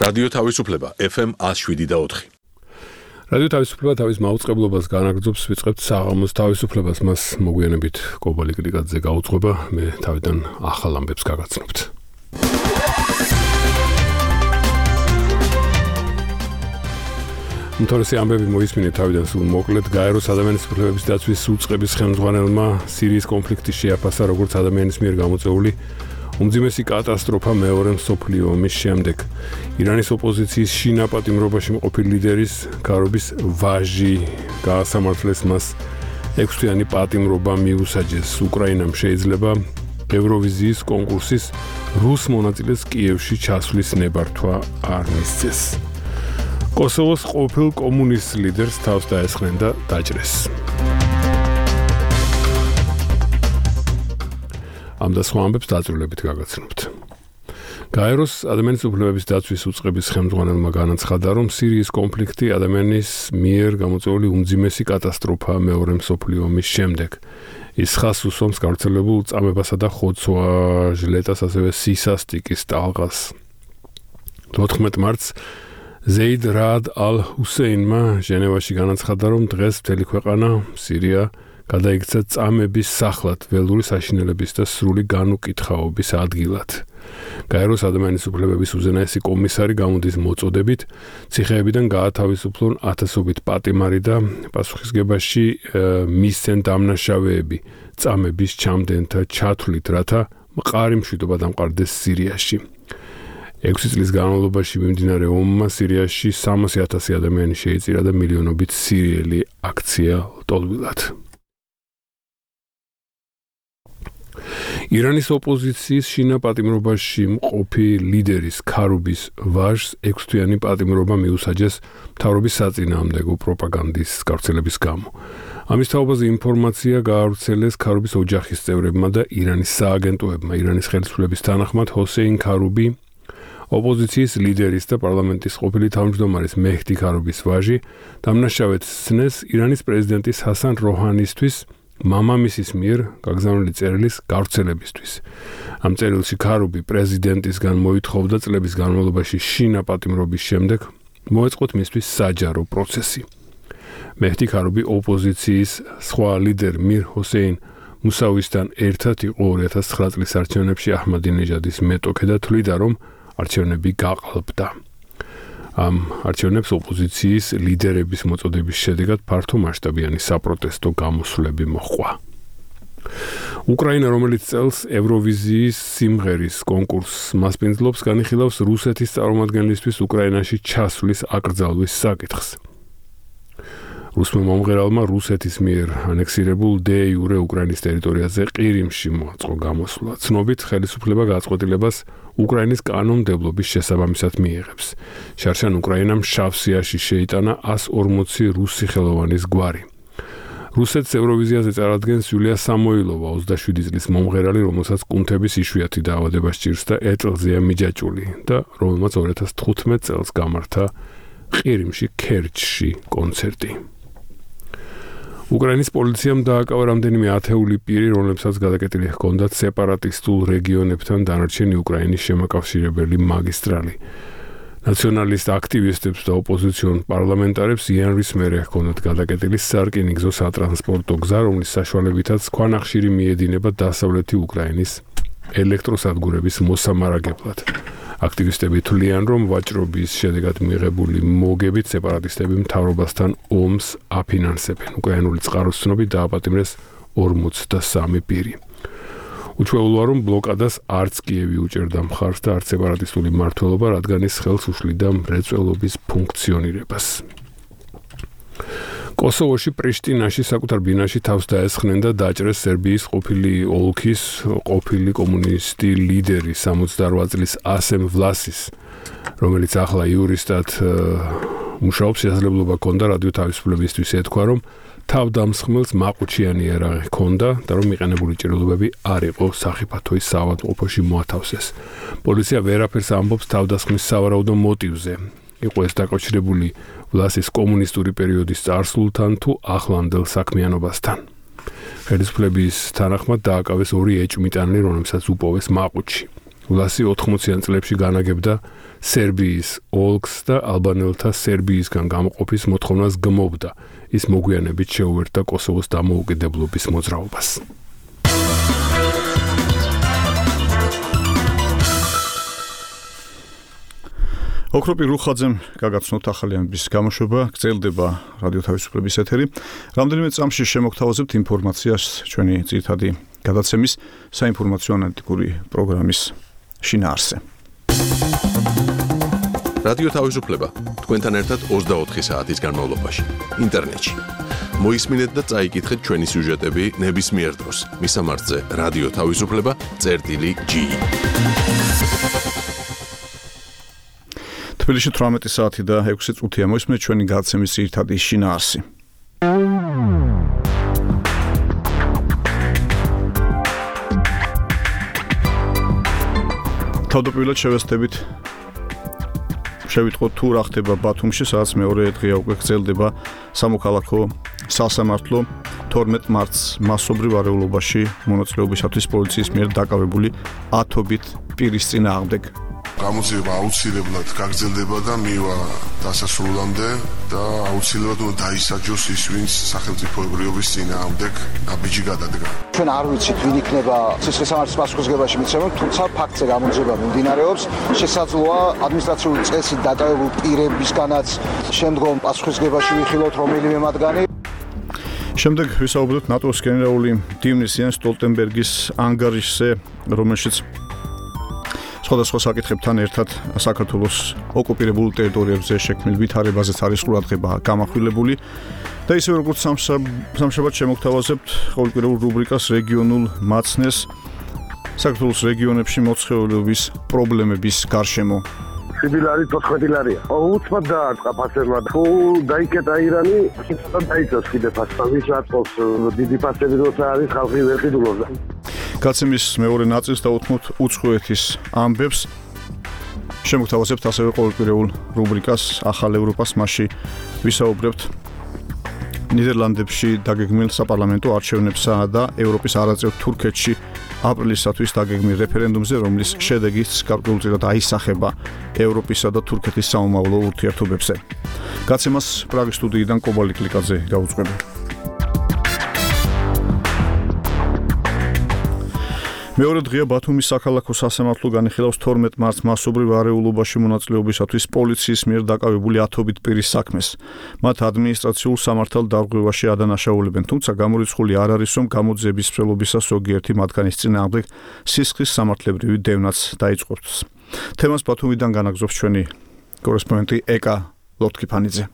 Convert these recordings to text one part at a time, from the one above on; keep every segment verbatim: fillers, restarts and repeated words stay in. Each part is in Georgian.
რადიო თავისუფლება ეფ ემ one oh seven და four. რადიო თავისუფლება თავის მაუწყებლობას განაგრძობს, ვიწყებთ საღამოს თავისუფლებას, მას მოგვიანებით კობალი კრიკაძე გაუძღვება, მე თავიდან ახალ ამბებს გაგაცნობთ. უმთავრესი ამბები მოისმინეთ თავიდან სულ მოკლედ. გაეროს ადამიანის უფლებების დაცვის უწყების ხელმძღვანელმა სირიის კონფლიქტი შეაფასა როგორც ადამიანის მიერ გამოწვეული უმძიმესი კატასტროფა მეორე მსოფლიო ომის შემდეგ. ირანის ოპოზიციის შინა პატიმრობაში მყოფი ლიდერის ქარობის ვაჟი გაასამართლეს, მას ექვსთვიანი პატიმრობა მიუსაჯეს. უკრაინამ შეიძლება ევროვიზიის კონკურსის რუს მონაწილეს კიევში ჩასვლის ნებართვა არ მისცეს. კოსოვოს ყოფილ კომუნისტ ლიდერს თავს დაესხნენ და დაჭრეს. ამ და სხვა ამბებს დაწვრილებით გაგაცნობთ. გაეროს ადამიანის უფლებების დაცვის უწყების ხელმძღვანელმა განაცხადა, რომ სირიის კონფლიქტი ადამიანის მიერ გამოწვეული უმძიმესი კატასტროფაა მეორე მსოფლიო ომის შემდეგ. ის ხაზს უსვამს გავრცელებულ წამებასა და ხოცვა-ჟლეტას, ასევე სისასტიკის ტალღას. თოთხმეტ მარტს ზეიდ რაად ალ-ჰუსეინმა ჟენევაში განაცხადა, რომ დღეს მთელი ქვეყანა სირია გადაიქცა წამების სახლად, ველური საშინელების და სრული განუკითხაობის ადგილად. გაეროს ადამიანის უფლებების უზენაესი კომისარი გამოდის მოწოდებით, ციხეებიდან გაათავისუფლონ ათასობით პატიმარი და პასუხისგებაში მისცენ დამნაშავეები წამების ჩამდენთა ჩათვლით, რათა მყარი მშვიდობა დამყარდეს სირიაში. ექვსი წლის განმავლობაში მიმდინარე ომმა სირიაში სამასი ათასი ადამიანი შეიწირა და მილიონობით სირიელი აქცია ლტოლვილად. ირანის ოპოზიციის შინა პატიმრობაში მყოფი ლიდერის ქარობის ვაჟს ექვსთვიანი პატიმრობა მიუსაჯეს მთავრობის საწინააღმდეგო პროპაგანდის გავრცელების გამო. ამის თაობაზე ინფორმაცია გაავრცელეს ქარობის ოჯახის წევრებმა და ირანის სააგენტოებმა. ირანის ხელისუფლების თანახმად ჰოსეინ ქარუბი, ოპოზიციის ლიდერის და პარლამენტის ყოფილი თავმჯდომარის მეჰდი ქარობის ვაჟი, დამნაშავედ სცნეს ირანის პრეზიდენტის ჰასან როჰანისთვის მამამისის მიერ გაგზავნილი წერილის გავრცელებისთვის. ამ წერილში ქარუბი პრეზიდენტისგან მოითხოვდა წლების განმავლობაში შინა პატიმრობის შემდეგ მოეწყოთ მისთვის საჯარო პროცესი. მეჰდი ქარუბი ოპოზიციის სხვა ლიდერ მირ ჰოსეინ მუსავისთან ერთად იყო ორი ათას ცხრა წლის არჩევნებში აჰმადინეჟადის მეტოქე და თვლიდა, რომ არჩევნები გაყალბდა. ამ არჩევნებს ოპოზიციის ლიდერების მოწოდების შედეგად ფართო მასშტაბიანი საპროტესტო გამოსვლები მოჰყვა. უკრაინა, რომელიც წელს ევროვიზიის სიმღერის კონკურსს მასპინძლობს, განიხილავს რუსეთის წარმომადგენლისთვის უკრაინაში ჩასვლის აკრძალვის საკითხს. რუსმა მომღერალმა რუსეთის მიერ ანექსირებულ დე იურე უკრაინის ტერიტორიაზე ყირიმში მოაწყო გამოსვლა. ცნობით, ხელისუფლება გაწყვეტილებას უკრაინის კანონმდებლობის შესაბამისად მიიღებს. შარშან უკრაინამ შავსიაში შეიტანა ასი ორმოცი რუსი ხელოვანის გვარი. რუსეთს ევროვიზიაზე წარადგენს იულია სამოილოვა, ოცდაშვიდი წლის მომღერალი, რომელსაც კუნთების იშვიათი დაავადება სჭირს და ეტლზეა მიჯაჭვული და რომელმაც ორი ათას თხუთმეტ წელს გამართა ყირიმში ქერჩში კონცერტი. უკრაინის პოლიციამ დააკავა რამდენიმე ათეული პირი, რომლებსაც გადაკეტილი ჰქონდათ სეპარატისტულ რეგიონებთან დანარჩენი უკრაინის შემაკავშირებელი მაგისტრალი. ნაციონალისტ აქტივისტებს და ოპოზიციონ პარლამენტარებს იანვრის მერე ჰქონდათ გადაკეტილი სარკინიგზო სატრანსპორტო გზა, რომლის საშუალებითაც ქვანახშირი მიედინება დასავლეთი უკრაინის ელექტროსადგურების მოსამარაგებლად. აქტივისტები თვლიან, რომ ვაჭრობის შედეგად მიღებული მოგებით სეპარატისტები მთავრობასთან ომს აფინანსებენ. უკრაინული წყაროს ცნობით დააპატიმრეს ორმოცდასამი პირი. უჩვეულოა, რომ ბლოკადას არც კიევი უჭერდა მხარს და არც სეპარატისტული მმართველობა, რადგან ის ხელს უშლიდა მრეწველობის ფუნქციონირებას. კოსოვოში პრიშტინაში საკუთარ ბინაში თავს დაესხნენ და დაჭრეს სერბიის ყოფილი ოლქის ყოფილი კომუნისტი ლიდერი სამოცდაოთხ წლის ასემ ვლასის, რომელიც ახლა იურისტად მუშაობს. შესაძლებლობა ჰქონდა რადიო თავისუფლებისთვის ეთქვა, რომ თავდამსხმელს მაყუჩიანი იარაღი ჰქონდა და რომ მიყენებული ჭრილობები არ იყო სახიფათოის საავადმყოფოში მოათავსეს. პოლიცია ვერაფერს ამბობს თავდასხმის სავარაუდო მოტივზე. იყო ეს დაკავშირებული ვლასის კომუნისტური პერიოდის წარსულთან თუ ახლანდელ საქმიანობასთან. ხელისუფლების თანახმად დააკავეს ორი ეჭვმიტანილი, რომელსაც უპოვეს მაყუჩში. ლასი ოთხმოციან წლებში განაგებდა სერბიის ოლქს და ალბანელთა სერბიისგან გამოყოფის მოთხოვნას გმობდა. ის მოგვიანებით შეუერთდა კოსოვოს დამოუკიდებლობის მოძრაობას. ოქროპი რუხაძემ გაგაცნოთ ახალი ამბის გამოშვება, გრძელდება რადიო თავისუფლების ეთერი. რამდენიმე წამში შემოგთავაზებთ ინფორმაციას ჩვენი ძირითადი გადაცემის საინფორმაციო ანალიტიკური პროგრამის შინაარსზე. რადიო თავისუფლება თქვენთან ერთად ოცდაოთხი საათის განმავლობაში ინტერნეტში. მოისმინეთ და წაიკითხეთ ჩვენი სიუჟეტები ნებისმიერ დროს მისამართზე რადიო თავისუფლება წერტილი ჯი. თბილისში თვრამეტი საათი და ექვსი წუთია მოისმენთ ჩვენი გადაცემის ძირითადი შინაარსი. თავდაპირველად შევეცდებით შევიტყოთ თუ რა ხდება ბათუმში, სადაც მეორე დღეა უკვე გრძელდება სამოქალაქო სასამართლო თორმეტ მარტს მასობრივ არეულობაში მონაწილეობისათვის პოლიციის მიერ დაკავებული ათობით პირის წინააღმდეგ. გამოძიება აუცილებლად გაგრძელდება და მივა დასასრულამდე და აუცილებლად უნდა დაისაჯოს ის, ვინც სახელმწიფოებრიობის წინააღმდეგ ნაბიჯი გადადგა. ჩვენ არ ვიცით, ვინ იქნება ციხესიმართლის პასუხისმგებაში მიცემული, თუმცა ფაქტზე გამოძიება მიმდინარეობს. შესაძლოა ადმინისტრაციული წესით დაკავებულ პირებისგანაც შემდგომ პასუხისმგებაში ვიხილოთ რომელიმე მათგანი. შემდეგ ვისაუბრებთ ნატოს გენერალური მდივნის იენს სტოლტენბერგის ანგარიშზე, რომელშიც სხვადასხვა საკითხებთან ერთად საქართველოს ოკუპირებულ ტერიტორიებზე შექმნილ ვითარებაზეც არის ყურადღება გამახვილებული და ისევე როგორც სამშაბათ შემოგთავაზებთ ყოველკვირეულ რუბრიკას რეგიონულ მაცნეს საქართველოს რეგიონებში მოცხეულობის პრობლემების გარშემო. სიბილარი თოთხმეტი ლარია. უცბად დაარტყა ფასებმა. თუ დაიკეტა ირანი, შეიძლება დაიწოს კიდე ფასები, რატოს დიდი ფასები როცა არის ხალხი ვერ ყიდულობს. გაცემის მეორე ნაწილს დავუთმოთ უცხოეთის ამბებს. შემოგთავაზებთ ასევე ყოველკვირეულ რუბრიკას ახალ ევროპას, მასში ვისაუბრებთ ნიდერლანდებში დაგეგმილ საპარლამენტო არჩევნებსა და ევროპის არაწევ თურქეთში აპრილისათვის დაგეგმილ რეფერენდუმზე, რომლის შედეგიც გარკვეულწილად აისახება ევროპისა და თურქეთის საომავლო ურთიერთობებზე. გაცემას პრაღის სტუდიიდან კობალი კლიკაძე გაუძღვება. მეორე დღეა ბათუმის საქალაქო სასამართლო განიხილავს თორმეტ მარტს მასობრივ არეულობაში მონაწილეობისათვის პოლიციის მიერ დაკავებული ათობით პირის საქმეს. მათ ადმინისტრაციულ სამართალ დარღვევაში ადანაშაულებენ, თუმცა გამორიცხული არ არის, რომ გამოძიების მსვლელობისას ზოგიერთი მათგანის წინააღმდეგ სისხლის სამართლებრივი დევნაც დაიწყოს. თემას ბათუმიდან განაგზობს ჩვენი კორესპონდენტი ეკა ლოტკიფანიძე.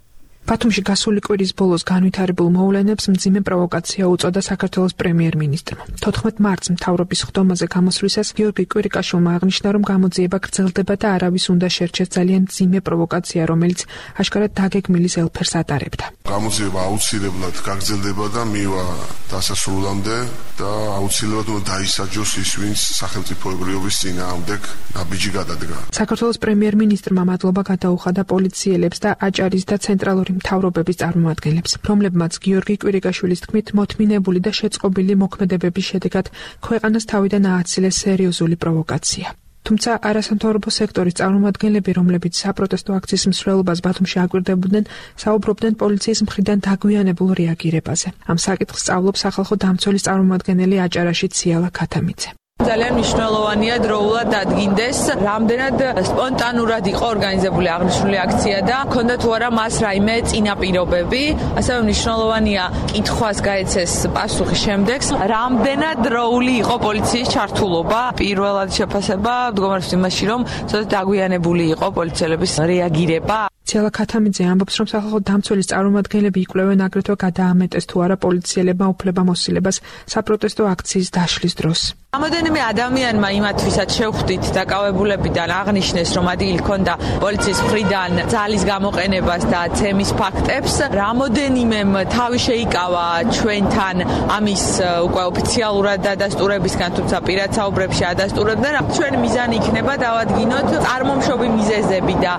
ბათუმში გასული კვირის ბოლოს განვითარებულ მოვლენებს მძიმე პროვოკაცია უწოდა საქართველოს პრემიერ-მინისტრმა. თოთხმეტ მარტს მთავრობის ხდომაზე გამოსვლისას გიორგი კვირიკაშვილმა აღნიშნა, რომ გამოძიება გრძელდება და არავის უნდა შერჩეს ძალიან მძიმე პროვოკაცია, რომელიც აშკარად დაგეგმილი ელფერს ატარებდა. გამოძიება აუცილებლად გაგრძელდება და მივა დასასრულამდე და აუცილებლად უნდა დაისაჯოს ის, ვინც სახელმწიფოებრიობის წინააღმდეგ ნაბიჯი გადადგა. საქართველოს პრემიერ-მინისტრმა მადლობა გადაუხადა პოლიციელებს და აჭარის და ცენტრალური მთავრობების წარმომადგენლებს, რომლებმაც გიორგი კვირიკაშვილის თქმით მოთმინებული და შეწყობილი მოქმედებების შედეგად ქვეყანას თავიდან ააცილეს სერიოზული პროვოკაცია. თუმცა არასამთავრობო სექტორის წარმომადგენლები, რომლებიც საპროტესტო აქციის მსვლელობას ბათუმში აკვირდებოდნენ, საუბრობდნენ პოლიციის მხრიდან დაგვიანებულ რეაგირებაზე. ამ საკითხს სწავლობს სახალხო დამცველის წარმომადგენელი აჭარაში ციალა ქათამიძე. ძალიან მნიშვნელოვანია დროულად დადგინდეს, რამდენად სპონტანურად იყო ორგანიზებული აღნიშნული აქცია და ჰქონდა თუ არა მას რაიმე წინაპირობები. ასევე მნიშვნელოვანია კითხვას გაეცეს პასუხი შემდეგს, რამდენად დროული იყო პოლიციის ჩართულობა. პირველად შეფასება მდგომარეობს იმაში, რომ ცოტა დაგვიანებული იყო პოლიციელების რეაგირება. ციალა ქათამიძე ამბობს, რომ სახალხო დამცველის წარმომადგენლები იკვლევენ აგრეთვე გადაამეტეს თუ არა პოლიციელებმა უფლებამოსილებას საპროტესტო აქციის დაშლის დროს. რამოდენიმე ადამიანმა იმათვისაც შევხვდით დაკავებულებიდან აღნიშნეს, რომ ადგილი ჰქონდა პოლიციის მხრიდან ძალის გამოყენებას და ცემის ფაქტებს. რამოდენიმემ თავი შეიკავა ჩვენთან ამის უკვე ოფიციალურად დადასტურებისგან, თუმცა პირად საუბრებში ადასტურებდნენ. ჩვენი მიზანი იქნება დავადგინოთ წარმომშობი მიზეზები და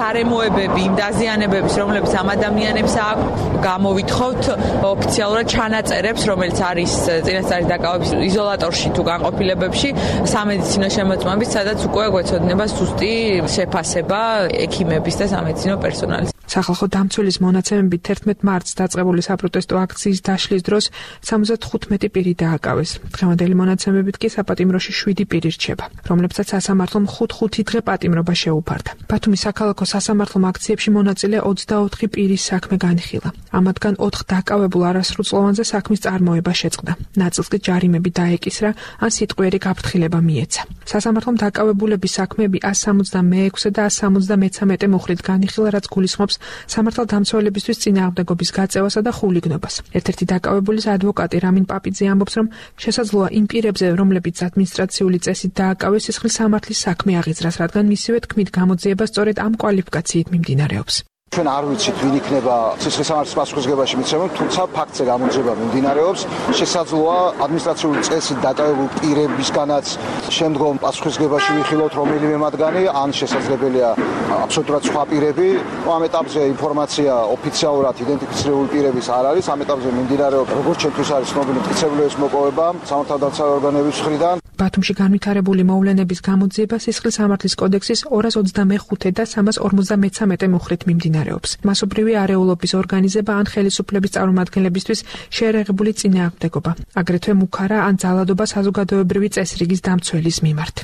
გარემოებები ნებები იმ დაზიანებების, რომლებიც ამ ადამიანებს აქვს, გამოვითხოვთ ოფიციალურად ჩანაწერებს, რომელიც არის წინასწარი დაკავების იზოლატორში თუ განყოფილებებში, სამედიცინო შემოწმებით, სადაც უკვე გვეცოდინება ზუსტი შეფასება ექიმების და სამედიცინო პერსონალის. სახალხო დამცველის მონაცემებით თერთმეტ მარტს დაწყებული საპროტესტო აქციის დაშლის დროს სამოცდათხუთმეტი პირი დააკავეს. დღევანდელი მონაცემებით კი საპატიმროში შვიდი პირი რჩება, რომლებსაც სასამართლომ ხუთ-ხუთი დღე პატიმრობა შეუფარდა. ბათუმის საქალაქო სასამართლომ აქციებში მონაწილე ოცდაოთხი პირის საქმე განიხილა. ამათგან ოთხ დაკავებულ არასრულწლოვანზე საქმის წარმოება შეწყდა. ნაწილს კი ჯარიმები დაეკისრა, ან სიტყვიერი გაფრთხილება მიეცა. სასამართლომ დაკავებულების საქმეები ას სამოცდამეექვსე და ას სამოცდამეცამეტე მუხლით განიხილა, რაც გულისხმობს სამართალდამცველებისთვის წინააღმდეგობის გაწევასა და ხულიგნობას. ერთ-ერთი დაკავებულის ადვოკატი რამინ პაპიძე ამბობს, რომ შესაძლოა იმ პირებზე, რომლებიც ადმინისტრაციული წესით დააკავეს, სისხლის სამართლის საქმე აღიძრას, რადგან მისივე თქმით გამოძიება სწორედ ამ კვალიფიკაციით მიმდინარეობს. ჩვენ არ ვიცით ვინ იქნება სისხლის სამართლის პასუხისმგებაში მიცემული, თუმცა ფაქტზე გამოძიება მიმდინარეობს. შესაძლოა ადმინისტრაციული წესით დაკავებულ პირებისგანაც შემდგომ პასუხისმგებაში ვიხილოთ რომელიმე მათგანი, ან შესაძლებელია აბსოლუტურად სხვა პირები. ამ ეტაპზე ინფორმაცია ოფიციალურად იდენტიფიცირებული პირების არ არის. ამ ეტაპზე მიმდინარეობს, როგორც ჩემთვის არის ცნობილი, მტკიცებულების მოპოვება სამართალდამცავი ორგანოების მხრიდან. ბათუმში განვითარებული მოვლენების გამოძიება სისხლის სამართლის კოდექსის ორას ოცდამეხუთე და სამას ორმოცდამეცამეტე მუხლით მიმდინარეობს. მასობრივი არეულობის ორგანიზება ან ხელისუფლების წარმომადგენლებისთვის შეერაღებული წინააღმდეგობა, აგრეთვე მუქარა ან ძალადობა საზოგადოებრივი წესრიგის დამცველის მიმართ.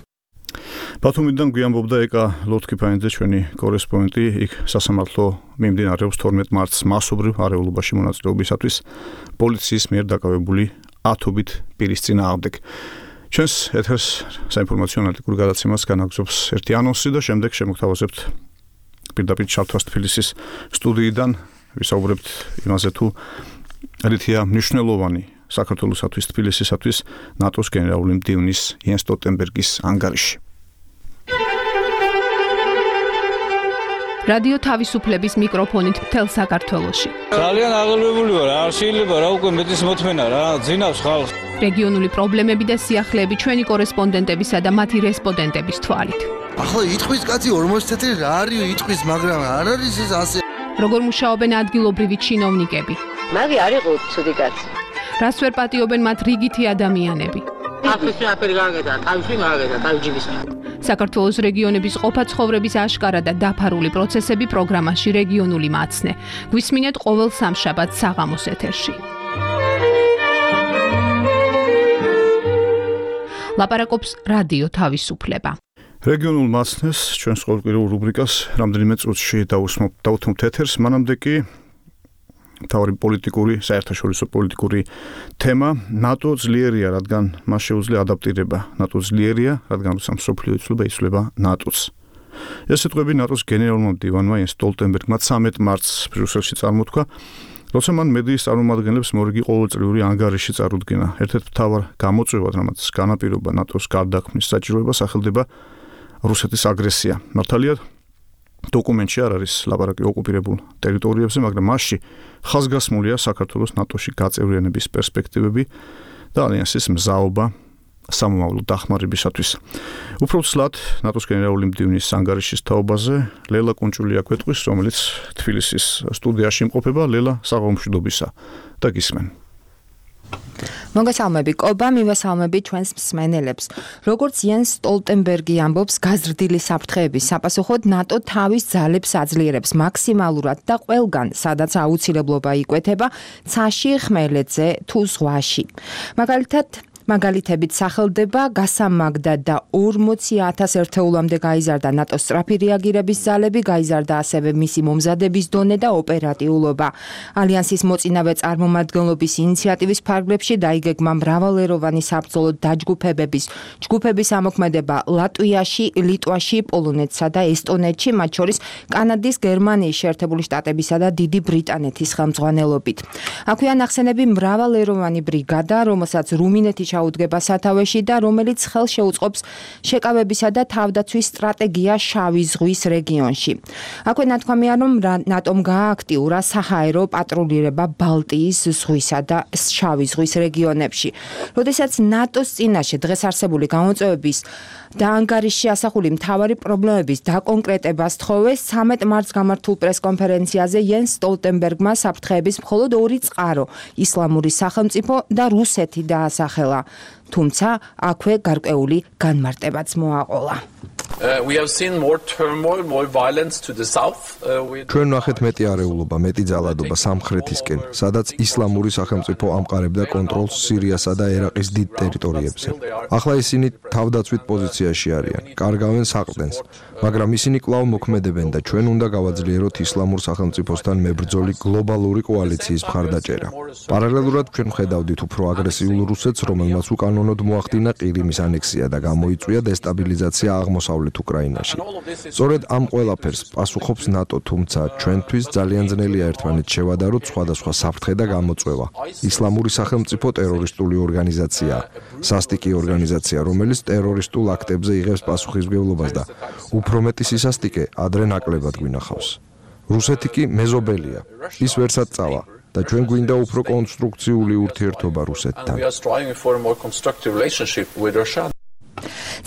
ბათუმიდან გვიამბობდა ეკა ლოთქიფაინძე, ჩვენი კორესპონდენტი, იქ სასამართლო მიმდინარეობს თორმეტ მარტს მასობრივ არეულობაში მონაწილეობისათვის პოლიციის მიერ დაკავებული ათობით პირის წინააღმდეგ. ჩვენს ეთერს საინფორმაციო ანალიტიკურ გადაცემას განაგზობს ერთი ანონსი და შემდეგ შემოგთავაზებთ პირდაპირ ჩართვას თბილისის სტუდიიდან. ვისაუბრებთ იმაზე, თუ რითია მნიშვნელოვანი საქართველოსათვის, თბილისისათვის ნატოს გენერალური მდივნის იენს სტოლტენბერგის ანგარიში. რადიო თავისუფლების მიკროფონით მთელ საქართველოში. ძალიან აღელვებული ვარ, არ შეიძლება რა უკვე მეტის მოთმენა რა, ძინავს ხალხს. რეგიონული პრობლემები და სიახლეები ჩვენი კორესპონდენტებისა და მათი რესპონდენტების თვალით. ახლა იტყვის კაცი ორმოცი წელი რა არის იტყვის, მაგრამ არ არის ეს ასე. როგორ მუშაობენ ადგილობრივი ჩინოვნიკები? მაგი არ იყო ცუდი კაცი. რას ვერ პატიობენ მათ რიგითი ადამიანები? აფრიკი აფერი გაგედა, თავში გაგედა, თავჯიბის. საქართველოს რეგიონების ყოფა ცხოვრების აშკარა და დაფარული პროცესები პროგრამაში რეგიონული მაცნე. გვისმინეთ ყოველ სამშაბათს საღამოს ეთერში. ლაპარაკობს რადიო თავისუფლება. რეგიონულ მაცნეს ჩვენს ყოველკვირეულ რუბრიკას რამდენიმე წუთში დავუთმობთ ეთერს, მანამდე კი თავი პოლიტიკური, საერთაშორისო პოლიტიკური თემა. ნატო ძლიერია, რადგან მას შეუძლია ადაპტირება. ნატო ძლიერია, რადგან როცა მსოფლიო იცვლება, იცვლება ნატოც. ეს სიტყვები ნატოს გენერალურმა მდივანმა იენს სტოლტენბერგმა ცამეტ მარტს ბრიუსელში წარმოთქვა, როცა მან მედიის წარმომადგენლებს მორიგი ყოველწლიური ანგარიში წარუდგინა. ერთ-ერთ მთავარ გამოწვევად, რამაც განაპირობა ნატოს გარდაქმნის საჭიროება, სახელდება რუსეთის აგრესია. მართალია, დოკუმენტში არ არის ლაპარაკი ოკუპირებულ ტერიტორიებზე, მაგრამ მასში ხაზგასმულია საქართველოს ნატოში გაწევრიანების პერსპექტივები და ალიანსის მზაობა სამომავლო დახმარებისათვის. უფრო ცლად ნატოს გენერალური მდივნის ანგარიშის თაობაზე ლელა კუნჭულია გვეტყვის, რომელიც თბილისის სტუდიაში იმყოფება. ლელა, საღამომშვიდობისა და გისმენ. მოგესალმები კობა, მივესალმები ჩვენს მსმენელებს. როგორც იენს სტოლტენბერგი ამბობს, გაზრდილი საფრთხეების საპასუხოდ ნატო თავის ძალებს აძლიერებს მაქსიმალურად და ყველგან, სადაც აუცილებლობა იკვეთება, ცაში, ხმელეთზე თუ ზღვაში. მაგალითად, მაგალითებით სახელდება გასამაგდა და ორმოცი ათას ერთეულამდე გაიზარდა ნატოს სწრაფი რეაგირების ძალები, გაიზარდა ასევე მისი მომზადების დონე და ოპერატიულობა. ალიანსის მოწინავე წარმომადგენლობის ინიციატივის ფარგლებში დაიგეგმა მრავალეროვანი საბრძოლო დაჯგუფებების ჯგუფების ამოქმედება ლატვიაში, ლიტვაში, პოლონეთსა და ესტონეთში, მათ შორის კანადის, გერმანიის შეერთებული შტატებისა და დიდი ბრიტანეთის ხელმძღვანელობით. აქვეა ნახსენები მრავალეროვანი ბრიგადა, რომელსაც რუმინეთი ჩაუდგება სათავეში და რომელიც ხელს შეუწყობს შეკავებისა და თავდაცვის სტრატეგია შავი ზღვის რეგიონში. აქვე ნათქვამია, რომ ნატომ გაააქტიურა საჰაერო პატრულირება ბალტიის ზღვისა და შავი ზღვის რეგიონებში. როდესაც ნატოს წინაშე დღეს არსებული გამოწვევების და ანგარიშში ასახული მთავარი პრობლემების დაკონკრეტებას თხოვეს, ცამეტ მარტს გამართულ პრესკონფერენციაზე იენს სტოლტენბერგმა საფრთხეების მხოლოდ ორი წყარო, ისლამური სახელმწიფო და რუსეთი დაასახელა. თუმცა აქვე გარკვეული განმარტებაც მოაყოლა. ჩვენ ნახეთ მეტი არეულობა, მეტი ძალადობა სამხრეთისკენ, სადაც ისლამური სახელმწიფო ამყარებდა კონტროლს სირიასა და ერაყის დიდ ტერიტორიებზე. ახლა ისინი თავდაცვით პოზიციაში არიან, კარგავენ საყრდენს, მაგრამ ისინი კვლავ მოქმედებენ და ჩვენ უნდა გავაძლიეროთ ისლამურ სახელმწიფოსთან მებრძოლი გლობალური კოალიციის მხარდაჭერა. პარალელურად ჩვენ ხედავდით უფრო აგრესიულ რუსეთს, რომელმაც უკანონოდ მოახდინა ყირიმის ანექსია და გამოიწვია დესტაბილიზაცია აღმოსავლეთ უკრაინაში. სწორედ ამ ყველაფერს პასუხობს ნატო, თუმცა ჩვენთვის ძალიან ძნელია ერთმანეთს შევადაროთ სხვადასხვა საფრთხე და გამოწვევა. ისლამური სახელმწიფო ტერორისტული ორგანიზაციაა, სასტიკი ორგანიზაცია, რომელიც ტერორისტულ აქტებზე იღებს პასუხისმგებლობას და უფრო მეტი სისასტიკე ადრე ნაკლებად გვინახავს. რუსეთი კი მეზობელია, ის ვერსად წავა და ჩვენ გვინდა უფრო კონსტრუქციული ურთიერთობა რუსეთთან.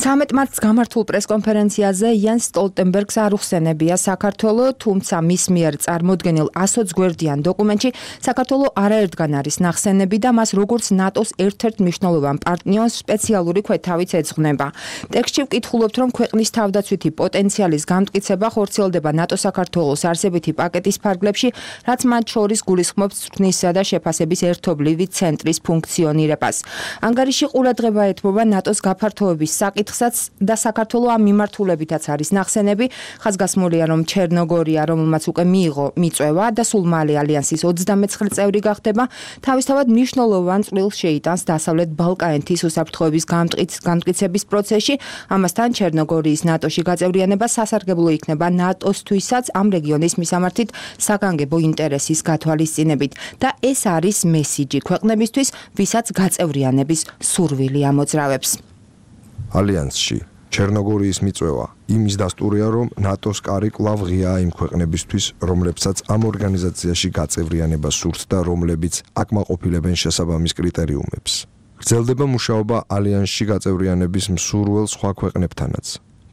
ცამეტ მარტს გამართულ პრესკონფერენციაზე იენს სტოლტენბერგს არ უხსენებია საქართველო, თუმცა მის მიერ წარმოდგენილ ასოც გვერდიან დოკუმენტში საქართველო არაერთგან არის ნახსენები და მას როგორც ნატოს ერთ-ერთ მნიშვნელოვან პარტნიორს სპეციალური ქვეთავიც ეძღვნება. ტექსტში ვკითხულობთ, რომ ქვეყნის თავდაცვითი პოტენციალის გამტკიცება ხორციელდება ნატო-საქართველოს არსებითი პაკეტის ფარგლებში, რაც მათ შორის გულისხმობს ცვლის და შეფასების ერთობლივი ცენტრის ფუნქციონირებას. ანგარიში ყურადღება ეთმობა ნატოს გაფართოების საკითხსაც და საქართველო ამ მიმართულებითაც არის ნახსენები. ხაზგასმულია, რომ ჩერნოგორია, რომელმაც უკვე მიიღო მიწვევა და სულ მალე ალიანსის ოცდამეცხრე წევრი გახდება, თავისთავად მნიშვნელოვან წვლილს შეიტანს დასავლეთ ბალკანეთის უსაფრთხოების გამტკიცების პროცესში. ამასთან ჩერნოგორიის ნატოში გაწევრიანება სასარგებლო იქნება ნატოსთვისაც ამ რეგიონის მისამართით საგანგებო ინტერესის გათვალისწინებით და ეს არის მესიჯი ქვეყნებისთვის, ვისაც გაწევრიანების სურვილი ამოძრავებს. ალიანსში ჩერნოგორიის მიწვევა იმის დასტურია, რომ ნატოს კარი კვლავ ღიაა იმ ქვეყნებისთვის, რომლებსაც ამ ორგანიზაციაში გაწევრიანება სურთ და რომლებიც აკმაყოფილებენ შესაბამის კრიტერიუმებს. გრძელდება მუშაობა ალიანსში გაწევრიანების მსურველ სხვა ქვეყნებთანაც,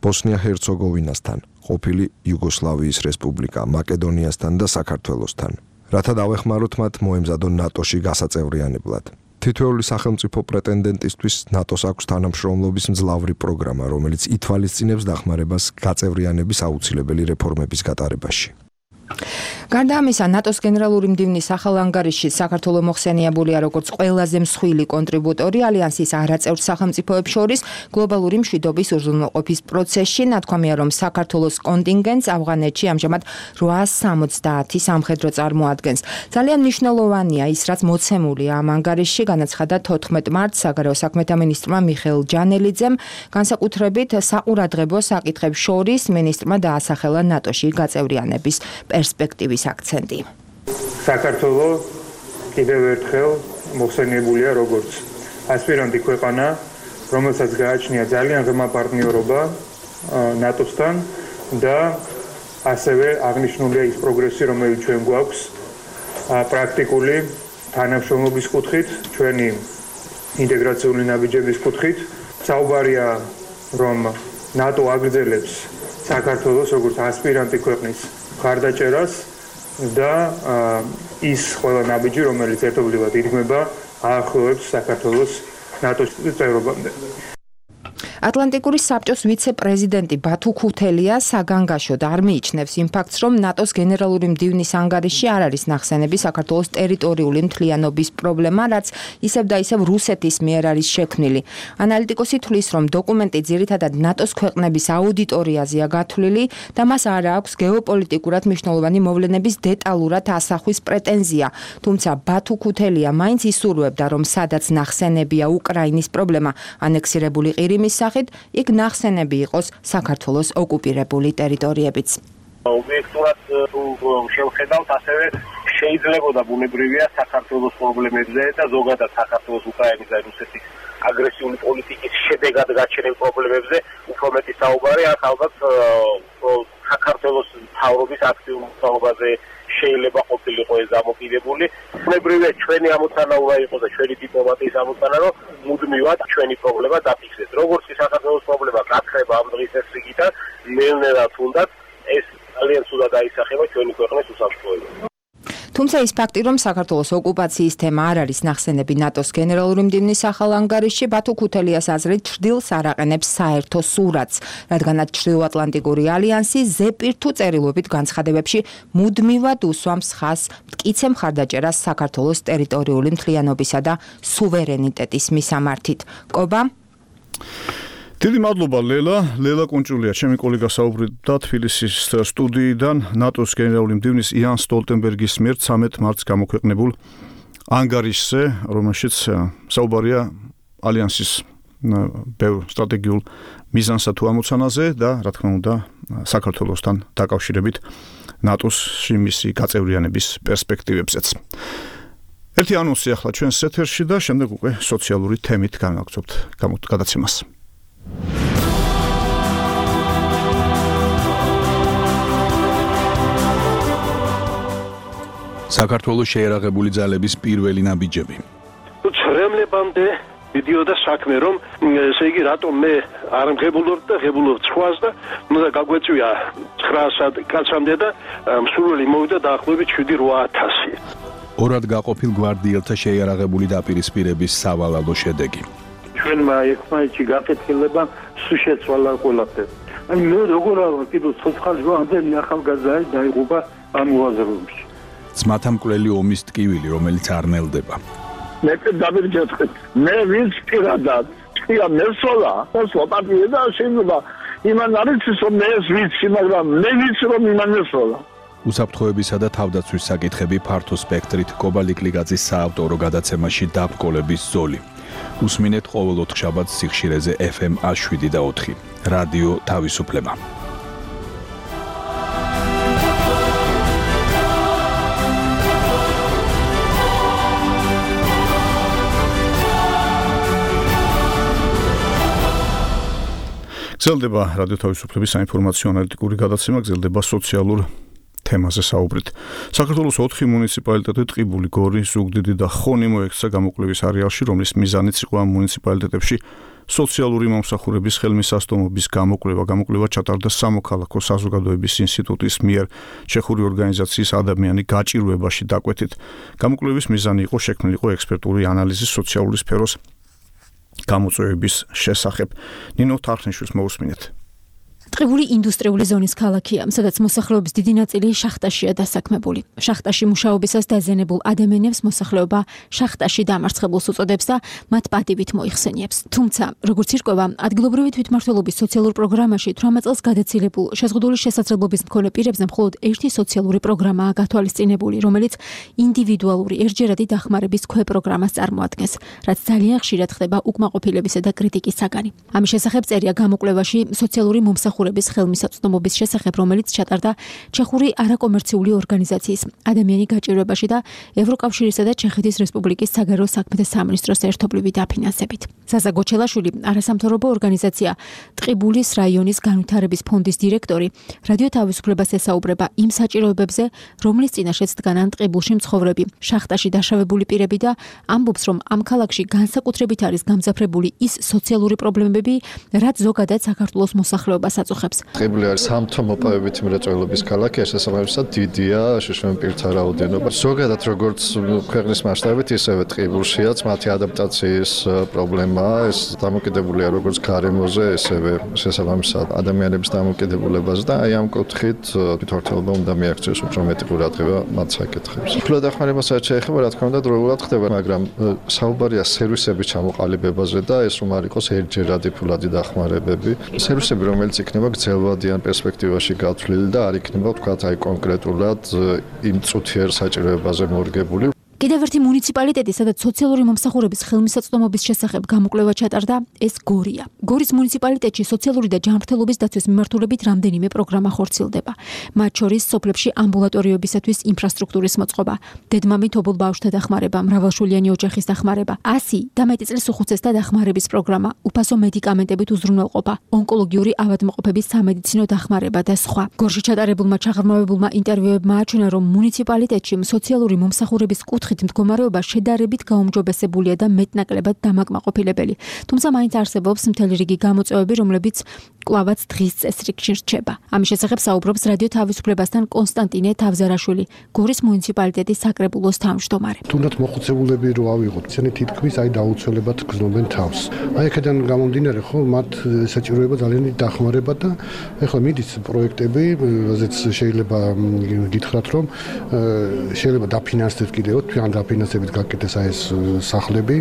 ბოსნია-ჰერცეგოვინასთან, ყოფილი იუგოსლავიის რესპუბლიკა, მაკედონიასთან და საქართველოსთან, რათა დავეხმაროთ მათ მოემზადონ ნატოში გასაწევრიანებლად. თითოეული სახელმწიფო პრეტენდენტისთვის ნატოს აქვს თანამშრომლობის მძლავრი პროგრამა, რომელიც ითვალისწინებს დახმარებას გაწევრიანების აუცილებელი რეფორმების გატარებაში. გარდა ამისა, ნატოს გენერალური მდივნის ახალ ანგარიშში საქართველო მოხსენიებულია როგორც ყველაზე მსხვილი კონტრიბუტორი ალიანსის არაწევრ სახელმწიფოებს შორის გლობალური მშვიდობის უზრუნველყოფის პროცესში. ნათქვამია, რომ საქართველოს კონტინგენტს ავღანეთში ამჟამად რვაას სამოცდაათი სამხედრო წარმოადგენს. ძალიან მნიშვნელოვანია ის, რაც მოცემულია ამ ანგარიშში, განაცხადა თოთხმეტ მარტს საგარეო საქმეთა მინისტრმა მიხეილ ჯანელიძემ, განსაკუთრებით საყურადღებო საკითხებს შორის მინისტრმა დაასახელა ნატოში გაწევრიანების პერსპექტივის აქცენტი. საქართველო კიდევ ერთხელ მოხსენიებულია როგორც ასპირანტი ქვეყანა, რომელსაც გააჩნია ძალიან ღრმა პარტნიორობა ნატოსთან და ასევე აღნიშნულია ის პროგრესი, რომელიც ჩვენ გვაქვს პრაქტიკული თანამშრომლობის კუთხით, ჩვენი ინტეგრაციული ნაბიჯების კუთხით. საუბარია, რომ ნატო აგრძელებს საქართველოს როგორც ასპირანტი ქვეყნის მხარდაჭერას და ის ყველა ნაბიჯი, რომელიც ერთობლივად იდგმება, აახლოვებს საქართველოს ნატოს წევრობამდე. ატლანტიკური საბჭოს ვიცე-პრეზიდენტი ბათუ ქუთელია საგანგაშოდ არ მიიჩნევს იმ ფაქტს, რომ ნატოს გენერალური მდივნის ანგარიშში არ არის ნახსენები საქართველოს ტერიტორიული მთლიანობის პრობლემა, რაც ისევ და ისევ რუსეთის მიერ არის შექმნილი. ანალიტიკოსი თვლის, რომ დოკუმენტი ძირითადად ნატოს ქვეყნების აუდიტორიაზეა გათვლილი და მას არ აქვს გეოპოლიტიკურად მნიშვნელოვანი მოვლენების დეტალურად ასახვის პრეტენზია. თუმცა ბათუ ქუთელია მაინც ისურვებდა, რომ სადაც ნახსენებია უკრაინის პრობლემა ანექსირებული ყირიმის სახით, იქ ნახსენები იყოს საქართველოს ოკუპირებული ტერიტორიებიც. ობიექტურად შევხედავთ, ასევე შეიძლებოდა ბუნებრივია საქართველოს პრობლემებზე და ზოგადად საქართველოს უკრაინის და რუსეთის აგრესიული პოლიტიკის შედეგად გაჩენილ პრობლემებზე უფრო მეტი საუბარი, აქ ალბათ საქართველოს მთავრობის აქტიურ მოსახლეობაზე შეიძლება ყოფილიყო ეს დამოკიდებული. ბუნებრივია ჩვენი ამოცანა უნდა იყოს და ჩვენი დიპლომატიის ამოცანა, რომ მუდმივად ჩვენი პრობლემა დაფიქსდეს. როგორც კი საქართველოს პრობლემა გაქრება ამ დღის ეს რიგიდან, ნელ-ნელა თუნდაც ეს ძალიან ცუდად აისახება ჩვენი ქვეყნის უსაფრთხოებას. თუმცა ის ფაქტი, რომ საქართველოს ოკუპაციის თემა არ არის ნახსენები ნატოს გენერალური მდივნის ახალ ანგარიშში, ბათუ ქუთელიას აზრით ჩრდილს არ აყენებს საერთო სურათს, რადგანაც ჩრდილოატლანტიკური ალიანსი ზეპირთუ წერილობით განცხადებებში მუდმივად უსვამს ხაზს მტკიცე მხარდაჭერას საქართველოს ტერიტორიული მთლიანობისა და სუვერენიტეტის მისამართით. კობა დიდი მადლობა ლელა, ლელა კუნჭულია, ჩემი კოლეგა საუბრობდა თბილისის სტუდიიდან ნატოს გენერალური მდივნის იან სტოლტენბერგის მიერ ცამეტ მარტს გამოქვეყნებულ ანგარიშზე, რომელშიც საუბარია ალიანსის ბევრ სტრატეგიულ მიზანსა თუ ამოცანაზე და რა თქმა უნდა საქართველოსთან დაკავშირებით ნატოსში მისი გაწევრიანების პერსპექტივებზეც. ერთი ანონსი ახლა ჩვენს ეთერში და შემდეგ უკვე სოციალური თემით განვაგრძობთ გადაცემას. საქართველოს შეერაღებული ძალების პირველი ნაბიჯები. ცრემლებამდე მიდიოდა საქმე, რომ ესე იგი რატომ მე არ მღებულობ და ღებულობ ცხვას და უნდა გაგვეწვია ცხრაასად კაცამდე და მსურველი მოვიდა დაახლოებით შვიდი რვა ათასი. ორად გაყოფილ გვარდიელთა შეიარაღებული დაპირისპირების სავალალო შედეგი. ჩვენმა ერთმანეთში გაკეთილება სულ შეცვალა ყველაფერი. აი მე როგორ არა კიდევ ცოცხალი ამდენი ახალგაზრდა დაიღუპა ამ უაზროებში. ძმათა მკვლელი ომის ტკივილი, რომელიც არ ნელდება. მე დავირჯეთქეთ. მე ვინც პირადად წია მესოლა, მოსვა პარტია და შეიძლება იმან არის რომ მე ეს ვიცი, მაგრამ მე ვიცი რომ იმან მესოლა. უსაფრთხოებისა და თავდაცვის საკითხები ფართო სპექტრით კობალიკლიგაძის საავტორო გადაცემაში დაბრკოლების ზოლი. უსმინეთ ყოველ ოთხშაბათს სიხშირეზე ეფ ემ შვიდი და ოთხი. რადიო თავისუფლება. გრძელდება რადიო თავისუფლების საინფორმაციო ანალიტიკური გადაცემა, გრძელდება სოციალურ თემაზე საუბრით. საქართველოს ოთხი მუნიციპალიტეტი ტყიბული, გორი, ზუგდიდი და ხონი მოექცა გამოკვლევის არეალში, რომლის მიზანიც იყო ამ მუნიციპალიტეტებში სოციალური მომსახურების ხელმისაწვდომობის გამოკვლევა. გამოკვლევა ჩატარდა სამოქალაქო საზოგადოების ინსტიტუტის მიერ ჩეხური ორგანიზაციის ადამიანი გაჭირვებაში დაკვეთით. გამოკვლევის მიზანი იყო შექმნილიყო ექსპერტული ანალიზი სოციალური სფეროს გამოწვევების შესახებ. ნინო თარხნიშვილს მოусმინეთ. ტყიბული ინდუსტრიული ზონის ქალაქია, სადაც მოსახლეობის დიდი ნაწილი შახტაშია დასაქმებული. შახტაში მუშაობისას დაზიანებულ ადამიანებს მოსახლეობა შახტაში დამარცხებულს უწოდებს და მათ პატივით მოიხსენიებს. თუმცა, როგორც ირკვევა, ადგილობრივი თვითმმართველობის სოციალურ პროგრამაში თვრამეტ წელს გადაცილებულ შეზღუდული შესაძლებლობის მქონე პირებზე მხოლოდ ერთი სოციალური პროგრამაა გათვალისწინებული, რომელიც ინდივიდუალური ერთჯერადი დახმარების ქვეპროგრამას წარმოადგენს, რაც ძალიან ხშირად ხდება უკმაყოფილებისა და კრიტიკის საგანი. ამის შესახებ წერია გამოკვლევაში სოციალური მომსახურების ხელმისაწვდომობის შესახებ, რომელიც ჩატარდა ჩეხური არაკომერციული ორგანიზაციის ადამიანი გაჭირვებაში და ევროკავშირისა და ჩეხეთის რესპუბლიკის საგარეო საქმეთა სამინისტროს ერთობლივი დაფინანსებით. ზაზა გოჩელაშვილი, არასამთავრობო ორგანიზაცია ტყიბულის რაიონის განვითარების ფონდის დირექტორი, რადიო თავისუფლებას ესაუბრება იმ საჭიროებებზე, რომლის წინაშეც დგანან ტყიბულში მცხოვრები, შახტაში დაშავებული პირები და ამბობს, რომ ამ ქალაქში განსაკუთრებით არის გამძაფრებული ის სოციალური პრობლემები, რაც ზოგადად საქართველოს მოსახლეობას აწუხებს. ტყიბული არის სამთო მოპოვებითი მრეწველობის ქალაქი, ეს შესაბამისად დიდია შშმ პირთა რაოდენობა. ზოგადად როგორც ქვეყნის მასშტაბით, ისევე ტყიბულშიაც მათი ადაპტაციის პრობლემაა, ეს დამოკიდებულია როგორც გარემოზე, ესევე შესაბამისად ადამიანების დამოკიდებულებას და აი ამ კუთხით თვითმართველობა უნდა მიაქციოს უფრო მეტი ყურადღება მათ საკითხებს. ფულად დახმარებასაც შეეხება, რა თქმა უნდა, დროულად ხდება, მაგრამ საუბარია სერვისების ჩამოყალიბებაზე და ეს რომ არ იყოს ერთჯერადი ფულადი დახმარებები. სერვისები, რომელიც იქნება გრძელვადიან პერსპექტივაში გათვლილი და არ იქნება, თქვათ, აი კონკრეტულად იმ წუთიერ საჭიროებაზე მორგებული. კიდევ ერთი მუნიციპალიტეტი, სადაც სოციალური მომსახურების ხელმისაწვდომობის შესახებ გამოკვლევა ჩატარდა, ეს გორია. გორის მუნიციპალიტეტში სოციალური და ჯანმრთელობის დაცვის მიმართულებით რამდენიმე პროგრამა ხორციელდება. მათ შორის სოფლებში ამბულატორიებისათვის ინფრასტრუქტურის მოწყობა, დედმამით ობოლ ბავშვთა დახმარება, მრავალშვილიანი ოჯახის დახმარება, ასი და მეტი წლის უხუცესთა დახმარების პროგრამა, უფასო მედიკამენტებით უზრუნველყოფა, ონკოლოგიური ავადმყოფების სამედიცინო დახმარება და სხვა. გორში ჩატარებულმა ჩაღრმავებულმა ინტერვიუებმა აჩვენა, რომ მუნიციპალიტეტში სოციალური მომსახურების კუთხით მდგომარეობა შედარებით გაუმჯობესებულია და მეტნაკლებად დამაკმაყოფილებელი. თუმცა მაინც არსებობს მთელი რიგი გამოწვევები, რომლებიც კვლავაც დღის წესრიგში რჩება. ამის შესახებ საუბრობს რადიო თავისუფლებასთან კონსტანტინე თავზარაშვილი, გორის მუნიციპალიტეტის საკრებულოს თავმჯდომარე. თუნდაც მოხუცებულები რო ავიღოთ, ისინი თითქმის აი დაუცველებად გრძნობენ თავს. აი აქედან გამომდინარე, ხო, მათ საჭიროება ძალიან დახმარება და ეხლა მიდის პროექტები, რაზეც შეიძლება გითხრათ, რომ შეიძლება დაფინანსდეთ კიდევ, თვიან დაფინანსებით გაკეთდეს აი ეს სახლები,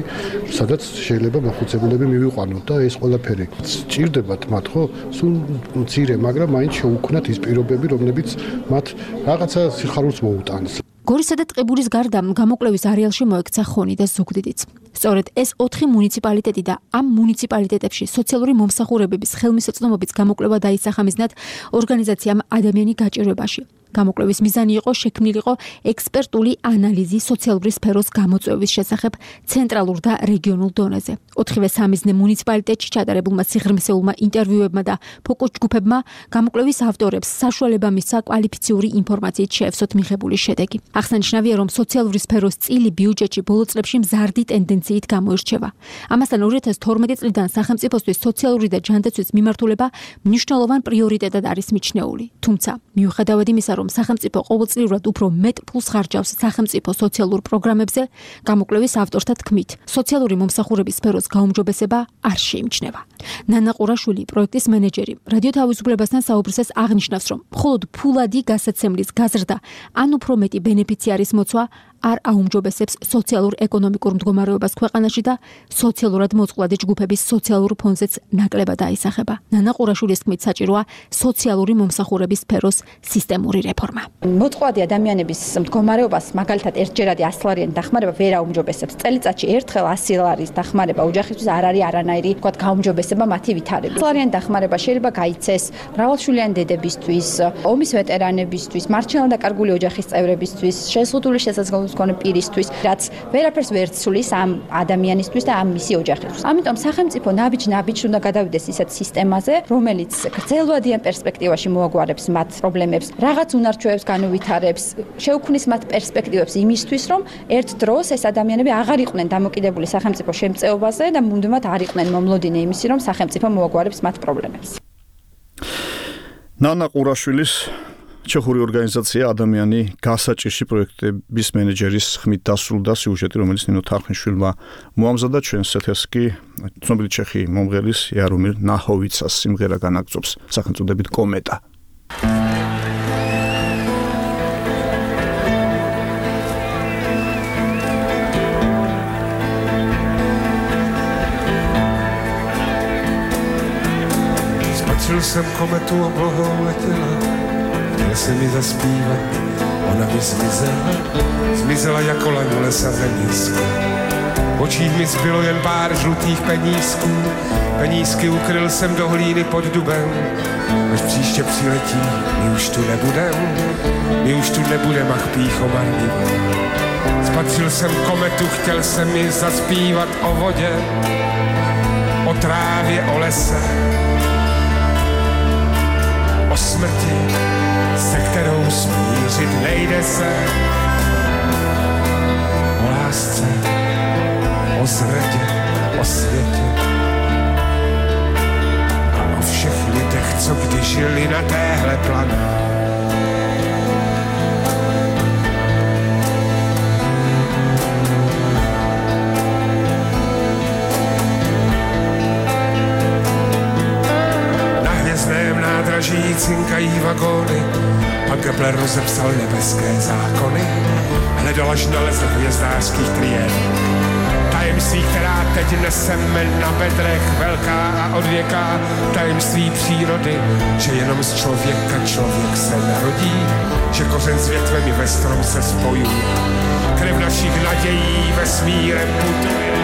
სადაც შეიძლება მოხუცებულები მივიყვანოთ და ეს ყველაფერი სჭირდებათ მათ, ხო? სულ მცირე, მაგრამ მაინც შეუქმნათ ის პირობები, რომლებიც მათ რაღაცა სიხარულს მოუტანს. გორისა და ტყიბულის გარდა გამოკვლევის არეალში მოექცა ხონი და ზუგდიდიც. სწორედ ეს ოთხი მუნიციპალიტეტი და ამ მუნიციპალიტეტებში სოციალური მომსახურებების ხელმისაწვდომობის გამოკვლევა დაისახა მიზნად ორგანიზაციამ ადამიანი გაჭირვებაში. გამოკვლევის მიზანი იყო შექმნილიყო ექსპერტული ანალიზი სოციალური სფეროს გამოწვევის შესახებ ცენტრალურ და რეგიონულ დონეზე. ოთხივე სამიზნე მუნიციპალიტეტში ჩატარებულმა სიღრმისეულმა ინტერვიუებმა და ფოკუს ჯგუფებმა გამოკვლევის ავტორებს საშუალება მისცა კვალიფიციური ინფორმაციით შეევსოთ მიღებული შედეგი. აღსანიშნავია, რომ სოციალური სფეროს წილი ბიუჯეტში ბოლო წლებში მზარდი ტენდენციით გამოირჩევა. ამასთან ორი ათას თორმეტი წლიდან სახელმწიფოსთვის სოციალური და ჯანდაცვის მიმართულება მნიშვნელოვან პრიორიტეტად არის მიჩნეული. თუმცა, მიუხედავად იმისა, რომ სახელმწიფო ყოველწლიურად უფრო მეტ ფულს ხარჯავს სახელმწიფო სოციალურ პროგრამებზე, გამოკვლევის ავტორთა თქმით, სოციალური მომსახურების სფეროს გაუმჯობესება არ შეიმჩნევა. ნანა ყურაშვილი, პროექტის მენეჯერი, რადიო თავისუფლებასთან საუბრისას აღნიშნავს, რომ მხოლოდ ფულადი გასაცემლის გაზრდა ან უფრო მეტი ბენეფიციარის მოცვა არ აუმჯობესებს სოციალურ-ეკონომიკურ მდგომარეობას ქვეყანაში და სოციალურად მოწყვლადი ჯგუფების სოციალურ ფონზეც ნაკლებად აისახება. ნანა ყურაშვილის თქმით, საჭიროა სოციალური მომსახურების სფეროს სისტემური რეფორმა. მოწყვლადი ადამიანების მდგომარეობას მაგალითად ერთჯერადი ასლარიანი დახმარება ვერ აუმჯობესებს. წელიწადში ერთხელ ასი ლარის დახმარება ოჯახისთვის არ არის არანაირი, თქვათ, გაუმჯობესება მათი ვითარებით. ასლარიანი დახმარება შეიძლება გაიცეს მრავალშვილიანი დედებისთვის, ომის ვეტერანებისთვის, მარჩენალ დაკარგული ოჯახის წევრებისთვის, შეზღუდული შესაძლებლობების მქონე პირისთვის, რაც ვერაფერს ვერ ცვლის ამ ადამიანისთვის და ამ მისი ოჯახისთვის. ამიტომ სახელმწიფო ნაბიჯ-ნაბიჯ უნდა გადავიდეს ისეთ სისტემაზე, რომელიც გრძელვადიან პერსპექტივაში მოაგვარებს მათ პრობლემებს, რაღაც უნარჩვევებს განუვითარებს, შეუქმნის მათ პერსპექტივებს იმისთვის, რომ ერთ დროს ეს ადამიანები აღარ იყვნენ დამოკიდებული სახელმწიფო შემწეობაზე და მუდმივად არ იყვნენ მომლოდინე იმისი, რომ სახელმწიფო მოაგვარებს მათ პრობლემებს. ნანა ყურაშვილის ჩეხური ორგანიზაცია ადამიანი გასაჭირში პროექტების მენეჯერის ხმით დასრულდა სიუჟეტი, რომელიც ნინო თარხნიშვილმა მოამზადა ჩვენს ეთერს კი ცნობილი ჩეხი მომღერლის იარომირ ნაჰოვიცას სიმღერა განაგწობს სახელწოდებით კომეტა. Spatřil jsem kometu, oblohou letěla, chtěl jsem mi zaspívat, ona mi zmizela, zmizela jako laň v lesazenísku. V očích mi zbylo jen pár žlutých penízků, penízky ukryl jsem do hlíny pod dubem, až příště přiletí, my už tu nebudem, my už tu nebudem, ach pýcho marnivé. Spatřil jsem kometu, chtěl jsem mi zaspívat o vodě, o trávě, o lese, o smrti, se kterou smířit nejde se, o lásce, o zradě, o světě a o všech lidech, co kdy žili na téhle planetě. Nádraží cinkají vagóny, pak Kepler rozepsal nebeské zákony, hledal až nalezl hvězdářských triéd. Tajemství, která teď neseme na bedrech, velká a odvěká, tajemství přírody, že jenom z člověka člověk se narodí, že kořen s větvem i ve strom se spojují, krev našich nadějí vesmírem putuje.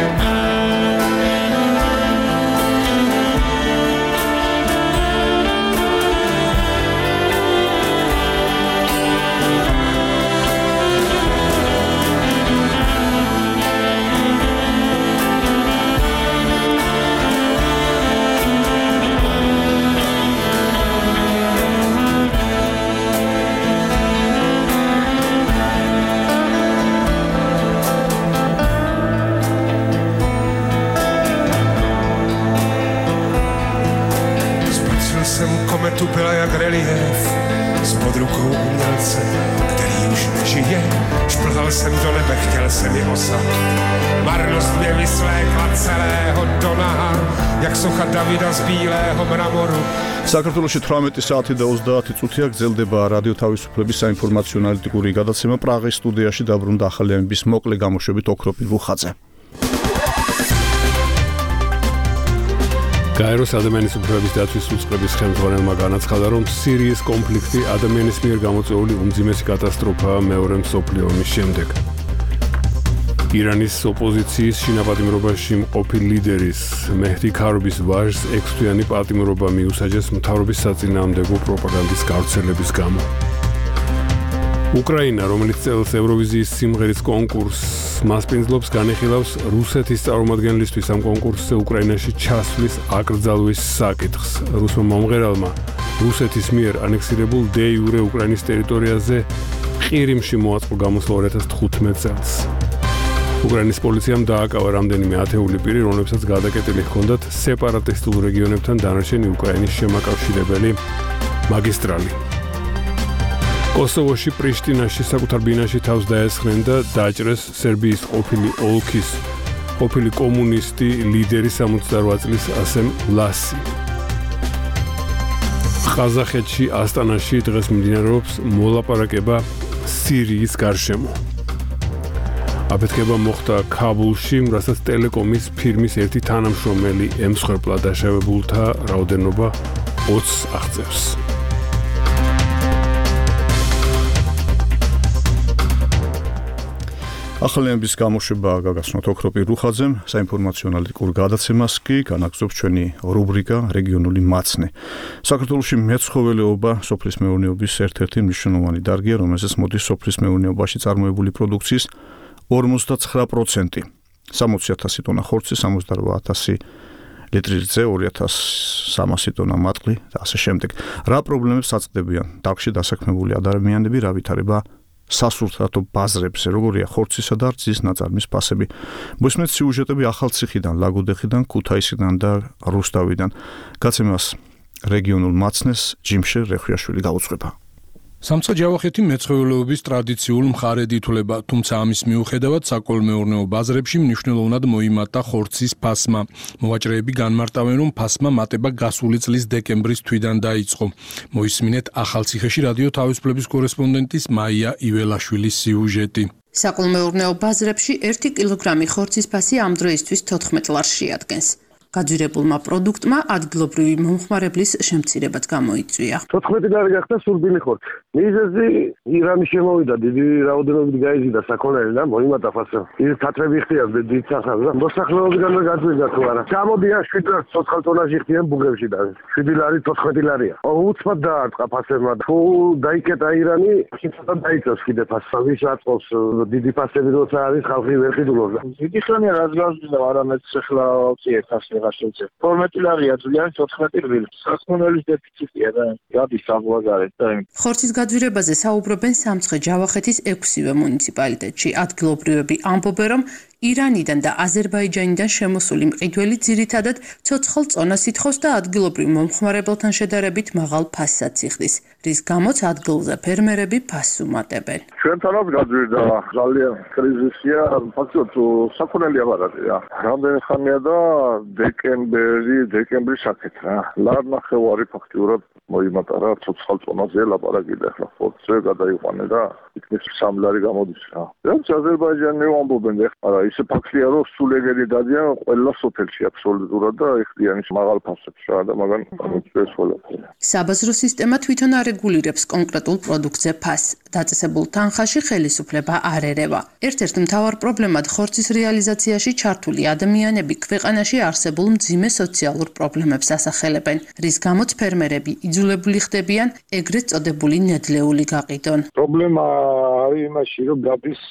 Tu byla jak relief spod rukou umělce, který už nežije. Šplhal jsem do nebe, chtěl jsem i osad. Marnost mě vyslékla celého do naha, jak socha Davida z bílého mramoru. საქართველოში თვრამეტი საათი და ოცდაათი წუთია გრძელდება რადიო თავისუფლების საინფორმაციო ანალიტიკური გადაცემა პრაღის სტუდიაში დაბრუნდა ახალიანების მოკლე გამოშვებით ოქროპირ რუხაძე. გაეროს ადამიანის უფლებების დაცვის უწყების ხელმძღვანელმა განაცხადა, რომ სირიის კონფლიქტი ადამიანის მიერ გამოწვეული უმძიმესი კატასტროფაა მეორე მსოფლიო ომის შემდეგ. ირანის ოპოზიციის შინაპატიმრობაში მყოფი ლიდერის მეჰდი ქარობის ვაჟს ექვსთვიანი პატიმრობა მიუსაჯეს მთავრობის საწინააღმდეგო პროპაგანდის გავრცელების გამო. უკრაინა, რომელიც წელს ევროვიზიის სიმღერის კონკურსს მასპინძლობს, განიხილავს რუსეთის წარმომადგენლისთვის ამ კონკურსზე უკრაინაში ჩასვლის აკრძალვის საკითხს. რუსმა მომღერალმა რუსეთის მიერ ანექსირებულ დე იურე უკრაინის ტერიტორიაზე ყირიმში მოაწყო გამოსვლა ორი ათას თხუთმეტ წელს. უკრაინის პოლიციამ დააკავა რამდენიმე ათეული პირი, რომლებსაც გადაკეტილი ჰქონდათ სეპარატისტულ რეგიონებთან დანარჩენი უკრაინის შემაკავშირებელი მაგისტრალი. კოსოვოში პრიშტინაში საკუთარ ბინაში თავს დაესხნენ და დაჭრეს სერბიის ყოფილი ოლქის ყოფილი კომუნისტი ლიდერი სამოცდაოთხ წლის ასემ ლასი. ყაზახეთში ასტანაში დღეს მიმდინარეობს მოლაპარაკება სირიის გარშემო. აფეთქება მოხდა ქაბულში, რასაც ტელეკომის ფირმის ერთი თანამშრომელი ემსხვერპლა დაშავებულთა რაოდენობა ოცს აღწევს. ახალიანების გამოშვება გაგაცნოთ ოქროპირ რუხაძემ, საინფორმაციო ანალიტიკურ გადაცემას კი განაგზობს ჩვენი რუბრიკა რეგიონული მაცნე. საქართველოში მეცხოველეობა სოფლის მეურნეობის ერთ-ერთი მნიშვნელოვანი დარგია, რომელზეც მოდის სოფლის მეურნეობაში წარმოებული პროდუქციის ორმოცდაცხრა პროცენტი. სამოცი ათასი ტონა ხორცი, სამოცდაოთხ ათასი ლიტრი რძე, ორი ათას სამასი ტონა მატყლი და ასე შემდეგ. რა პრობლემებს აწვდებიან დარგში დასაქმებული ადამიანები, რა ვითარება სასურთათო ბაზრებზე, როგორია ხორცისა და რძის ნაწარმის ფასები. მოსმენთ სიუჟეტები ახალციხიდან, ლაგოდეხიდან, ქუთაისიდან და რუსთავიდან. გაცემას რეგიონულ მაცნეს ჯიმშე რეხვიაშვილი გაუძღვება. სამცხე-ჯავახეთი მეცხოველეობის ტრადიციულ მხარედ ითვლება, თუმცა ამის მიუხედავად საკოლმეურნეო ბაზრებში მნიშვნელოვნად მოიმატა ხორცის ფასმა. მოვაჭრეები განმარტავენ, რომ ფასმა მატება გასული წლის დეკემბრის თვიდან დაიწყო. მოისმინეთ ახალციხეში რადიო თავისუფლების კორესპონდენტის მაია იველაშვილის სიუჟეტი. საკოლმეურნეო ბაზრებში ერთი კილოგრამი ხორცის ფასი ამ დროისთვის თოთხმეტ ლარს შეადგენს. გაძვირებულმა პროდუქტმა ადგილობრივი მომხმარებლის შემცირებაც გამოიწვია. თოთხმეტი ლარი გახდა სურბილი ხორცი. მიზეზი ირანი შემოვიდა, დიდი რაოდენობით გაიზიდა საქონელი და მოიმატა ფასი. ის თათრები ხდიან დიდ სახანს და მოსახლეობიდანვე გაძვირდა თუ არა. გამოდიან შვიდ ცოცხალ ტონაჟი ხდიან ბუგებში და შვიდი ლარი თოთხმეტი ლარია. უცბად დაარტყა ფასებმა. თუ დაიკეტა ირანი, შეიძლება დაიწოს კიდე ფასი. ვის აწყობს დიდი ფასები როცა არის ხალხი ვერ ყიდულობს. დიდი ხანია რაც გავზრდა არამედ ახლა ვწიეთ ასე თორმეტი ლარია ძალიან თოთხმეტი რბილი. საქონელის დეფიციტია და გადის საბაზარეთ და ხორცის გაძვირებაზე საუბრობენ სამცხე-ჯავახეთის ექვსივე მუნიციპალიტეტში. ადგილობრივები ამბობენ, რომ ირანიდან და აზერბაიჯანიდან შემოსული მყიდველი ძირითადად ცოცხალ წონას ითხოვს და ადგილობრივ მომხმარებელთან შედარებით მაღალ ფასსაც იხდის, რის გამოც ადგილზე ფერმერები ფასს უმატებენ. ჩვენთანაც გაძვირდა ძალიან კრიზისია, ფაქტობრივად საქონელი აბარატია. რამდენი ხანია და დეკემბერი, დეკემბრის აქეთ რა. ლარ ნახევარი ფაქტიურად მოიმატა რა ცოცხალ წონაზე ლაპარაკი და ახლა ფორცზე გადაიყვანე და იქნებ სამი ლარი გამოდის რა. რაც აზერბაიჯანი ამბობენ ახლა ისე ფაქტია რომ სულ ეგეთი დადიან ყველა სოფელში აბსოლუტურად და ეხდიან ის მაღალ ფასებს რა და მაგან ამოწეს ყველაფერი. საბაზრო სისტემა თვითონ არეგულირებს კონკრეტულ პროდუქტზე ფასს. დაწესებულ თანხაში ხელისუფლება არ ერევა. ერთ-ერთ მთავარ პრობლემად ხორცის რეალიზაციაში ჩართული ადამიანები ქვეყანაში არსებულ მძიმე სოციალურ პრობლემებს ასახელებენ, რის გამოც ფერმერები იძულებული ხდებიან ეგრეთ წოდებული ნედლეული გაყიდონ. პრობლემა არის იმაში, რომ გადის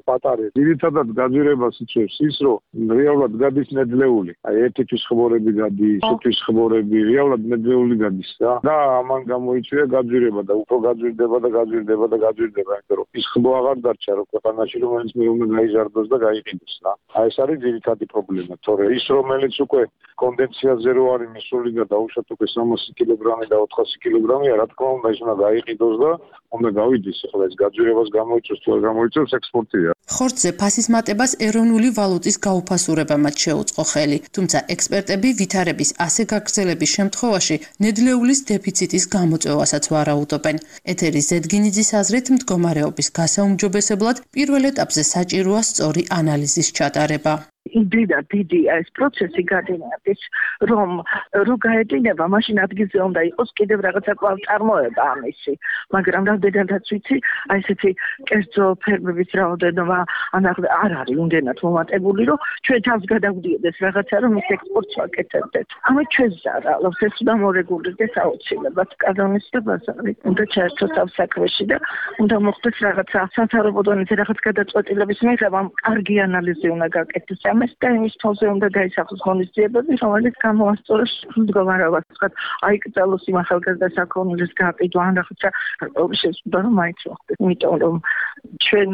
პატარე. ძირითადად გაძვირებას იწვევს ის, რომ რეალურად გადის ნედლეული. აი ერთი თვის ხმორები გადის, თვის ხმორები, რეალურად ნედლეული გადის რა. და ამან გამოიწვია გაძვირება და უფრო გაძვირდება და გაძვირდება და გაძვირდება, იმიტომ რომ ის ხმო აღარ დარჩა რომ ქვეყანაში რომელიც მე უნდა გაიზარდოს და გაიყიდოს რა. აი ეს არის ძირითადი პრობლემა, თორე ის რომელიც უკვე კონდენსიაზე რო არის მისული და დაუშვათ უკვე სამასი კილოგრამი და ოთხასი კილოგრამია, რა თქმა უნდა ის უნდა გაიყიდოს და უნდა გავიდეს, ახლა ეს გაძვირებას გამოიწვევს თუ არ გამოიწვევს ექსპორტია. ხორცზე ფასის მატებას ეროვნული ვალუტის გაუფასურებამაც შეუწყო ხელი, თუმცა ექსპერტები ვითარების ასე გაგრძელების შემთხვევაში ნედლეულის დეფიციტის გამოწვევასაც ვარაუდობენ. ეთერის ზედგინიძის აზრით მდგომარეობის გასაუმჯობესებლად პირველ ეტაპზე საჭიროა სწორი ანალიზის ჩატარება. იმდენად დიდი ეს პროცესი გადინარდეს, რომ რო გაედინება, მაშინ ადგილზე უნდა იყოს კიდევ რაღაცა კვლავ წარმოება ამისი. მაგრამ რამდენადაც ვიცი, აი ესეთი კერძო ფერმების რაოდენობა არ არის იმდენად მომატებული, რომ ჩვენ თავს გადავდიოდეს რაღაცა, რომ ის ექსპორტს ვაკეთებდეთ. ამით ჩვენ ზარალობს, ეს უნდა მორეგულირდეს აუცილებლად. კანონისებას არის, უნდა ჩაერთოს ამ საქმეში და უნდა მოხდეს რაღაცა სასარობო დონეზე რაღაც გადაწყვეტილების მიღება, კარგი ანალიზი უნდა გაკეთდეს. ამას და იმის თავზე უნდა გაისახოს ღონისძიებები, რომელიც გამოასწოროს მდგომარეობას. ვთქვათ, აიკრძალოს იმ ახალგაზრდა საქონლის გაყიდვა ან რაღაცა შეცვლა რომ მაინც მოხდეს. იმიტომ რომ ჩვენ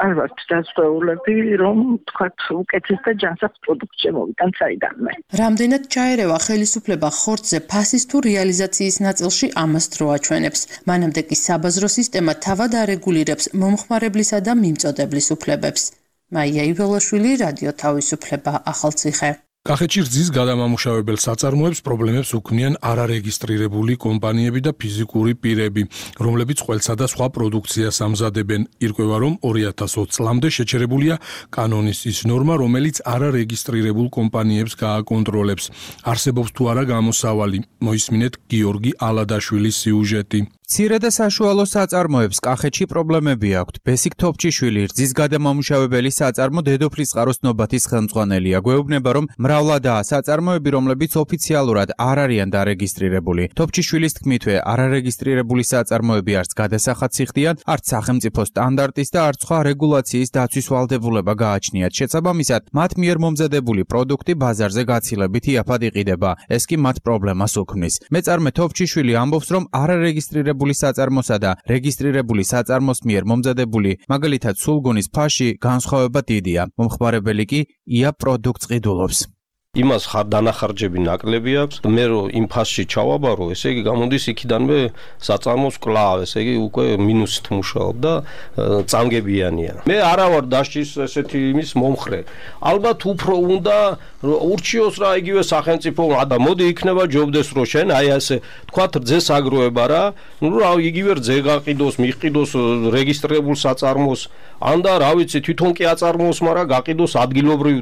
არ ვართ დასწრეულები, რომ ვთქვათ, უკეთეს და ჯანსაღ პროდუქტს შემოვიდან საიდანვე. რამდენად ჩაერევა ხელისუფლება ხორცზე ფასის თუ რეალიზაციის ნაწილში ამას დრო აჩვენებს. მანამდე კი საბაზრო სისტემა თავად არეგულირებს მომხმარებლისა და მიმწოდებლის უფლებებს. მაია იველაშვილი, რადიო თავისუფლება, ახალციხე. კახეთში რძის გადამამუშავებელ საწარმოებს პრობლემებს უქმნიან არარეგისტრირებული კომპანიები და ფიზიკური პირები, რომლებიც ყველსა და სხვა პროდუქციას ამზადებენ. ირკვევა, რომ ორი ათას ოცი წლამდე შეჩერებულია კანონის ის ნორმა, რომელიც არარეგისტრირებულ კომპანიებს გააკონტროლებს. არსებობს თუ არა გამოსავალი. მოისმინეთ გიორგი ალადაშვილის სიუჟეტი. მცირე და საშუალო საწარმოებს კახეთში პრობლემები აქვთ. ბესიკ თოფჩიშვილი რძის გადამამუშავებელი საწარმო დედოფლის წყაროს ნობათის ხელმძღვანელია. გვეუბნება, რომ მრავლადაა საწარმოები, რომლებიც ოფიციალურად არ არიან დარეგისტრირებული. თოფჩიშვილის თქმითვე, არარეგისტრირებული საწარმოები არც გადასახადს იხდიან, არც სახელმწიფო სტანდარტის და არც სხვა რეგულაციის დაცვის ვალდებულება გააჩნიათ. შესაბამისად, მათ მიერ მომზადებული პროდუქტი ბაზარზე გაცილებით იაფად იყიდება. ეს კი მათ პრობლემას უქმნის. მეწარმე თოფჩიშვილი ამბობს, რომ არარეგისტრირებული საწარმოსა და რეგისტრირებული საწარმოს მიერ მომზადებული, მაგალითად სულგუნის ფაში განსხვავება დიდია. მომხმარებელი კი ია პროდუქტს ყიდულობს. იმას დანახარჯები ნაკლები აქვს. მე რო იმ ფასში ჩავაბარო, ესე იგი გამოდის იქიდანვე საწარმოს კლავ, ესე იგი უკვე მინუსით მუშაობ და წამგებიანია. მე არა ვარ დასჭის ესეთი იმის მომხრე. ალბათ უფრო უნდა ურჩიოს რა იგივე სახელმწიფო და მოდი იქნება ჯობდეს რო შენ აი ასე თქვათ რძეს აგროვება რა, ნუ რა იგივე რძე გაყიდოს, მიყიდოს რეგისტრირებულ საწარმოს, ან და რა ვიცი თვითონ კი აწარმოოს, მაგრამ გაყიდოს ადგილობრივ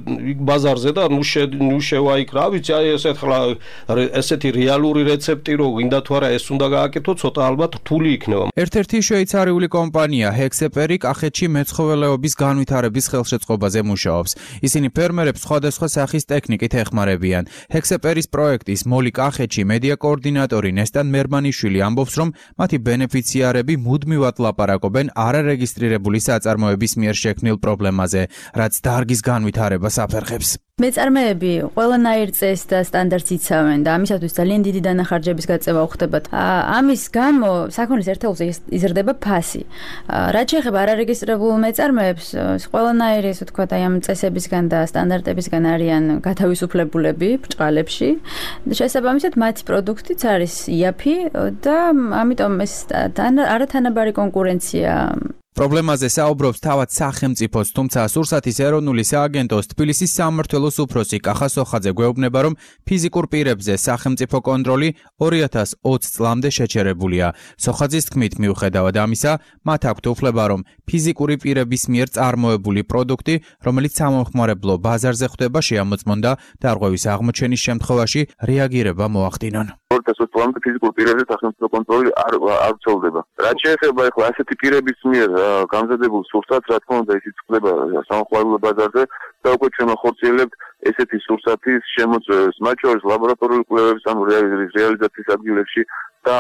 ბაზარზე და ნუ ნუ შევა იქ რა ვიცი აი ესეთ ხლა ესეთი რეალური რეცეპტი რო გინდა თუ არა ეს უნდა გააკეთო, ცოტა ალბათ რთული იქნება. ერთ-ერთი შვეიცარიული კომპანია ჰექსეპერი კახეთში მეცხოველეობის განვითარების ხელშეწყობაზე მუშაობს. ისინი ფერმერებს სხვადასხვა სახის ტექნიკით ეხმარებიან. ჰექსეპერის პროექტის მოლი კახეთში მედია კოორდინატორი ნესტან მერმანიშვილი ამბობს, რომ მათი ბენეფიციარები მუდმივად ლაპარაკობენ არარეგისტრირებული საწარმოების მიერ შექმნილ პრობლემაზე, რაც დარგის განვითარებას აფერხებს. მეწარმეები ყველანაირ წესს და სტანდარტს იცავენ და ამისათვის ძალიან დიდი დანახარჯების გაწევა უხდებათ. ამის გამო საქონლის ერთეულზე იზრდება ფასი. რაც შეეხება არარეგისტრირებულ მეწარმეებს, ყველანაირი, ასე ვთქვათ, აი ამ წესებისგან და სტანდარტებისგან არიან გათავისუფლებულები ბრჭყალებში. შესაბამისად, მათი პროდუქტიც არის იაფი და ამიტომ ეს არათანაბარი კონკურენცია პრობლემაზე საუბრობს თავად სახელმწიფოს, თუმცა სურსათის ეროვნული სააგენტოს თბილისის სამმართველოს უფროსი კახა სოხაძე გვეუბნება, რომ ფიზიკურ პირებზე სახელმწიფო კონტროლი ორი ათას ოცი წლამდე შეჩერებულია. სოხაძის თქმით, მიუხედავად ამისა, მათ აქვთ უფლება, რომ ფიზიკური პირების მიერ წარმოებული პროდუქტი, რომელიც სამომხმარებლო ბაზარზე ხვდება, შეამოწმონ და დარღვევის აღმოჩენის შემთხვევაში რეაგირება მოახდინონ. ორი ათას ოცი წლამდე ფიზიკურ პირებზე სახელმწიფო კონტროლი არ არ ვრცელდება. რაც შეეხება ახლა ასეთი პირების მიერ გამზადებულ სურსათს, რა თქმა უნდა, ისიც ხდება სამომხმარებლო ბაზარზე და უკვე ჩვენ ხორციელებთ ესეთი სურსათის შემოწმებას, მათ შორის ლაბორატორიული კვლევების ან რეალიზაციის ადგილებში და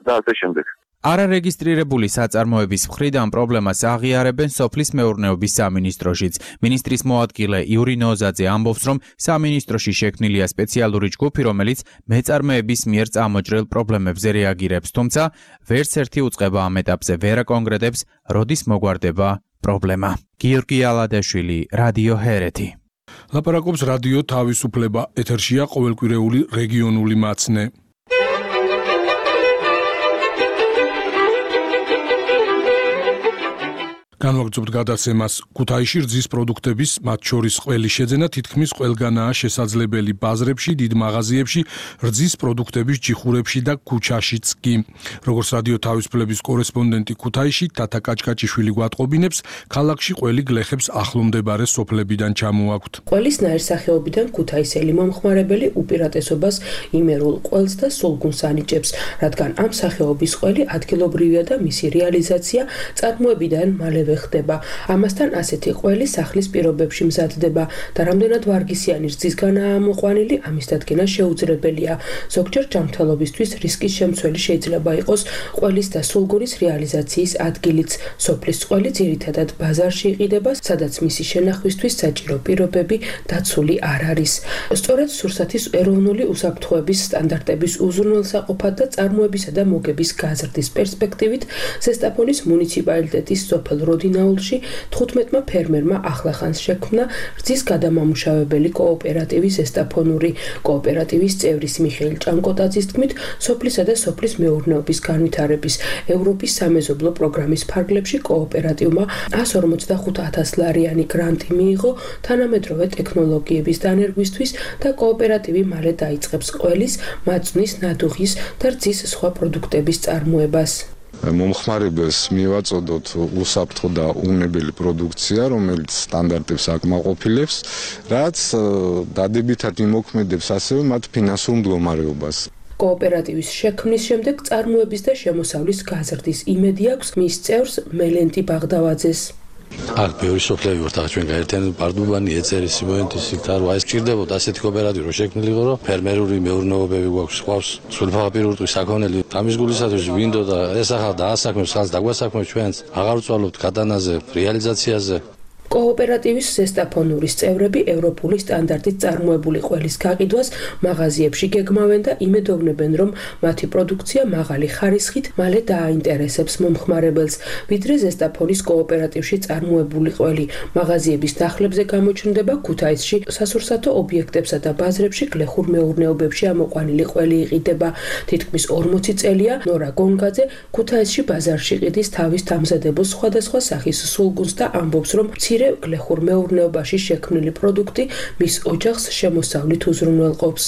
და ასე შემდეგ. არარეგისტრირებული საწარმოების მხრიდან პრობლემას აღიარებენ სოფლის მეურნეობის სამინისტროშიც. მინისტრის მოადგილე იური ნოზაძე ამბობს, რომ სამინისტროში შექმნილია სპეციალური ჯგუფი, რომელიც მეწარმეების მიერ წამოჭრილ პრობლემებზე რეაგირებს, თუმცა ვერც ერთი უწყება ამ ეტაპზე ვერ აკონკრეტებს, როდის მოგვარდება პრობლემა. გიორგი ალადაშვილი, რადიო ჰერეთი. ლაპარაკობს რადიო თავისუფლება, ეთერშია ყოველკვირეული რეგიონული მაცნე. განვაგრძობთ გადაცემას. ქუთაისში რძის პროდუქტების, მათ შორის ყველის შეძენა თითქმის ყველგანაა შესაძლებელი ბაზრებში, დიდ მაღაზიებში, რძის პროდუქტების ჯიხურებში და ქუჩაშიც კი. როგორც რადიო თავისუფლების კორესპონდენტი ქუთაისში თათა კაჭკაჭიშვილი გვატყობინებს, ქალაქში ყველი გლეხებს ახლომდებარე სოფლებიდან ჩამოაქვთ. ყველის ნაირსახეობიდან ქუთაისელი მომხმარებელი უპირატესობას იმერულ ყველს და სულგუნს ანიჭებს, რადგან ამ სახეობის ყველი ადგილობრივია და მისი რეალიზაცია წარმოებიდან მალე ხდება. ამასთან ასეთი ყველი სახლის პირობებში მზადდება და რამდენად ვარგისიანი რძისგანაა ამოყვანილი, ამის დადგენა შეუძლებელია. ზოგჯერ ჯანმრთელობისთვის რისკის შემცველი შეიძლება იყოს ყველის და სულგუნის რეალიზაციის ადგილიც. სოფლის ყველი ძირითადად ბაზარში იყიდება, სადაც მისი შენახვისთვის საჭირო პირობები დაცული არ არის. სწორედ სურსათის ეროვნული უსაფრთხოების სტანდარტების უზრუნველსაყოფად და წარმოებისა და მოგების გაზრდის პერსპექტივით ზესტაფონის მუნიციპალიტეტის სოფელ როდინაულში თხუთმეტმა ფერმერმა ახლახანს შექმნა რძის გადამამუშავებელი კოოპერატივი ზესტაფონური. კოოპერატივის წევრის მიხეილ ჭანკოტაძის თქმით, სოფლისა და სოფლის მეურნეობის განვითარების ევროპის სამეზობლო პროგრამის ფარგლებში კოოპერატივმა ას ორმოცდახუთ ათას ლარიანი გრანტი მიიღო თანამედროვე ტექნოლოგიების დანერგვისთვის და კოოპერატივი მალე დაიწყებს ყველის, მაწვნის, ნადუღის და რძის სხვა პროდუქტების წარმოებას. მომხმარებელს მივაწოდოთ უსაფრთხო და უნებელი პროდუქცია, რომელიც სტანდარტებს აკმაყოფილებს, რაც დადებითად იმოქმედებს ასევე მათ ფინანსურ მდგომარეობას. კოოპერატივის შექმნის შემდეგ წარმოების და შემოსავლის გაზრდის იმედი აქვს მის წევრს მელენტი ბაღდავაძეს. აქ ბევრი სოფლები ვართ, ახლა ჩვენ გაერთიანებული პარდუბანი, ეწერი, სიმონეთის, სიკთარო, ეს ჭირდებოდა ასეთი კოოპერატივი რომ შექმნილიყო, რომ ფერმერული მეურნეობები გვაქვს, ყავს სულფაფაპირურტყვის საქონელი. ამის გულისათვის ვინდო და ეს ახლა დაასაქმებს, ხალხს დაგვასაქმებს ჩვენს, აღარ ვწვალობთ გადანაზე, რეალიზაციაზე. კოოპერატივის ზესტაფონურის წევრები ევროპული სტანდარტით წარმოებული ყველის გაყიდვას მაღაზიებში გეგმავენ და იმედოვნებენ, რომ მათი პროდუქცია მაღალი ხარისხით მალე დააინტერესებს მომხმარებელს, ვიდრე ზესტაფონის კოოპერატივში წარმოებული ყველი. მაღაზიების დახლებზე გამოჩნდება ქუთაისში სასურსათო ობიექტებსა და ბაზრებში გლეხურ მეურნეობებში ამოყვანილი ყველი იყიდება. თითქმის ორმოცი წელია ნორა გონგაძე ქუთაისში ბაზარში ყიდის თავის დამზადებულ სხვადასხვა სახის სულგუნს და ამბობს, რომ გლეხურ მეურნეობაში შექმნილი პროდუქტი მის ოჯახს შემოსავლით უზრუნველყოფს.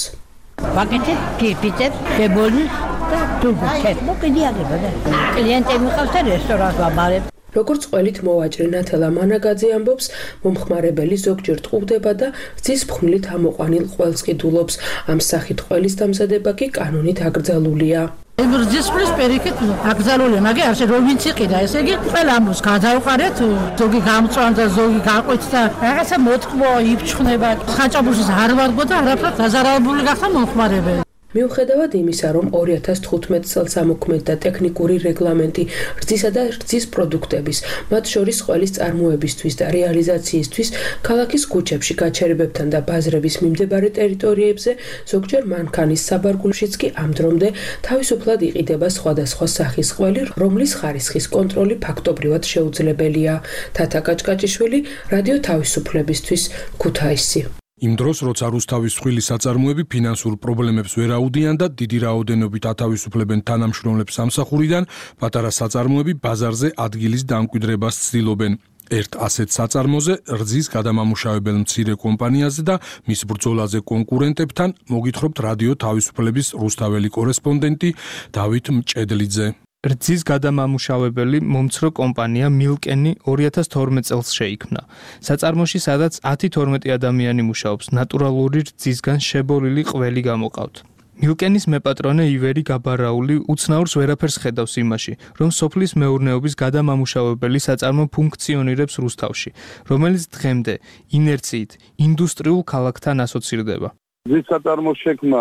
ვაკეთებ ფიფიტებს, შებოლნს და თუგუჩებს. მოკიდი აგება და კლიენტები მიყავს და რესტორანს ვაბარებ. როგორც ყველით მოვაჭრე ნათელა მანაგაძე ამბობს, მომხმარებელი ზოგჯერ ტყუდება და რძის ფხვნილით ამოყვანილ ყველს ყიდულობს. ამ სახით ყველის დამზადება კი კანონით აკრძალულია. რძის ფხვნილის პირიქით აკრძალულია, მაგრამ არ შეიძლება რომ ვინც იყიდა, ესე იგი ყველა ამბობს გადავყარეთ, ზოგი გამწვან და ზოგი გაყვეთ და რაღაცა მოტკბო იფჩხნება. ხაჭაპურშიც არ ვარგო და არაფრად დაზარალებული გახდა მომხმარებელი. მიუხედავად იმისა, რომ ორი ათას თხუთმეტ წელს ამოქმედდა ტექნიკური რეგლამენტი რძისა და რძის პროდუქტების, მათ შორის ყველის წარმოებისთვის და რეალიზაციისთვის, ქალაქის ქუჩებში გაჩერებებთან და ბაზრების მიმდებარე ტერიტორიებზე, ზოგჯერ მანქანის საბარგულშიც კი ამ დრომდე თავისუფლად იყიდება სხვადასხვა სახის ყველი, რომლის ხარისხის კონტროლი ფაქტობრივად შეუძლებელია. თათა კაჭკაჭიშვილი, რადიო თავისუფლებისთვის, ქუთაისი. იმ დროს, როცა რუსთავის მსხვილი საწარმოები ფინანსურ პრობლემებს ვერ აუდიან და დიდი რაოდენობით ათავისუფლებენ თანამშრომლებს სამსახურიდან, პატარა საწარმოები ბაზარზე ადგილის დამკვიდრებას ცდილობენ. ერთ ასეთ საწარმოზე რძის გადამამუშავებელ მცირე კომპანიაზე და მის ბრძოლაზე კონკურენტებთან მოგითხრობთ რადიო თავისუფლების რუსთაველი კორესპონდენტი დავით მჭედლიძე. რძის გადამამუშავებელი მომცრო კომპანია მილკენი ორი ათას თორმეტ წელს შეიქმნა. საწარმოში, სადაც ათი თორმეტი ადამიანი მუშაობს, ნატურალური რძისგან შებოლილი ყველი გამოყავთ. მილკენის მეპატრონე ივერი გაბარაული უცნაურს ვერაფერს ხედავს იმაში, რომ სოფლის მეურნეობის გადამამუშავებელი საწარმო ფუნქციონირებს რუსთავში, რომელიც დღემდე ინერციით ინდუსტრიულ ქალაქთან ასოცირდება. რძის საწარმოს შექმნა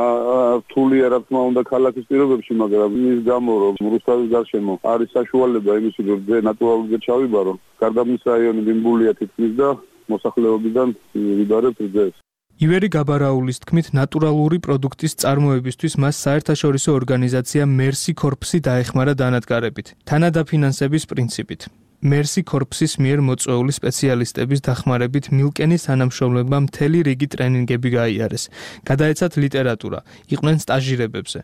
რთულია, რა თქმა უნდა, ქალაქის პირობებში, მაგრამ ის გამო, რომ რუსთავის გარშემო არის საშუალება იმისი, რომ რძე ნატურალურზე ჩავიბარო, გარდა მის რაიონი დინბულია თითქმის და მოსახლეობიდან ვიბარებთ რძეს. ივერი გაბარაულის თქმით, ნატურალური პროდუქტის წარმოებისთვის მას საერთაშორისო ორგანიზაცია მერსი კორპსი დაეხმარა დანადგარებით, თანადაფინანსების პრინციპით. მერსი კორპსის მიერ მოწვეული სპეციალისტების დახმარებით მილკენის თანამშრომლებმა მთელი რიგი ტრენინგები გაიარეს. გადაეცათ ლიტერატურა, იყვნენ სტაჟირებებზე.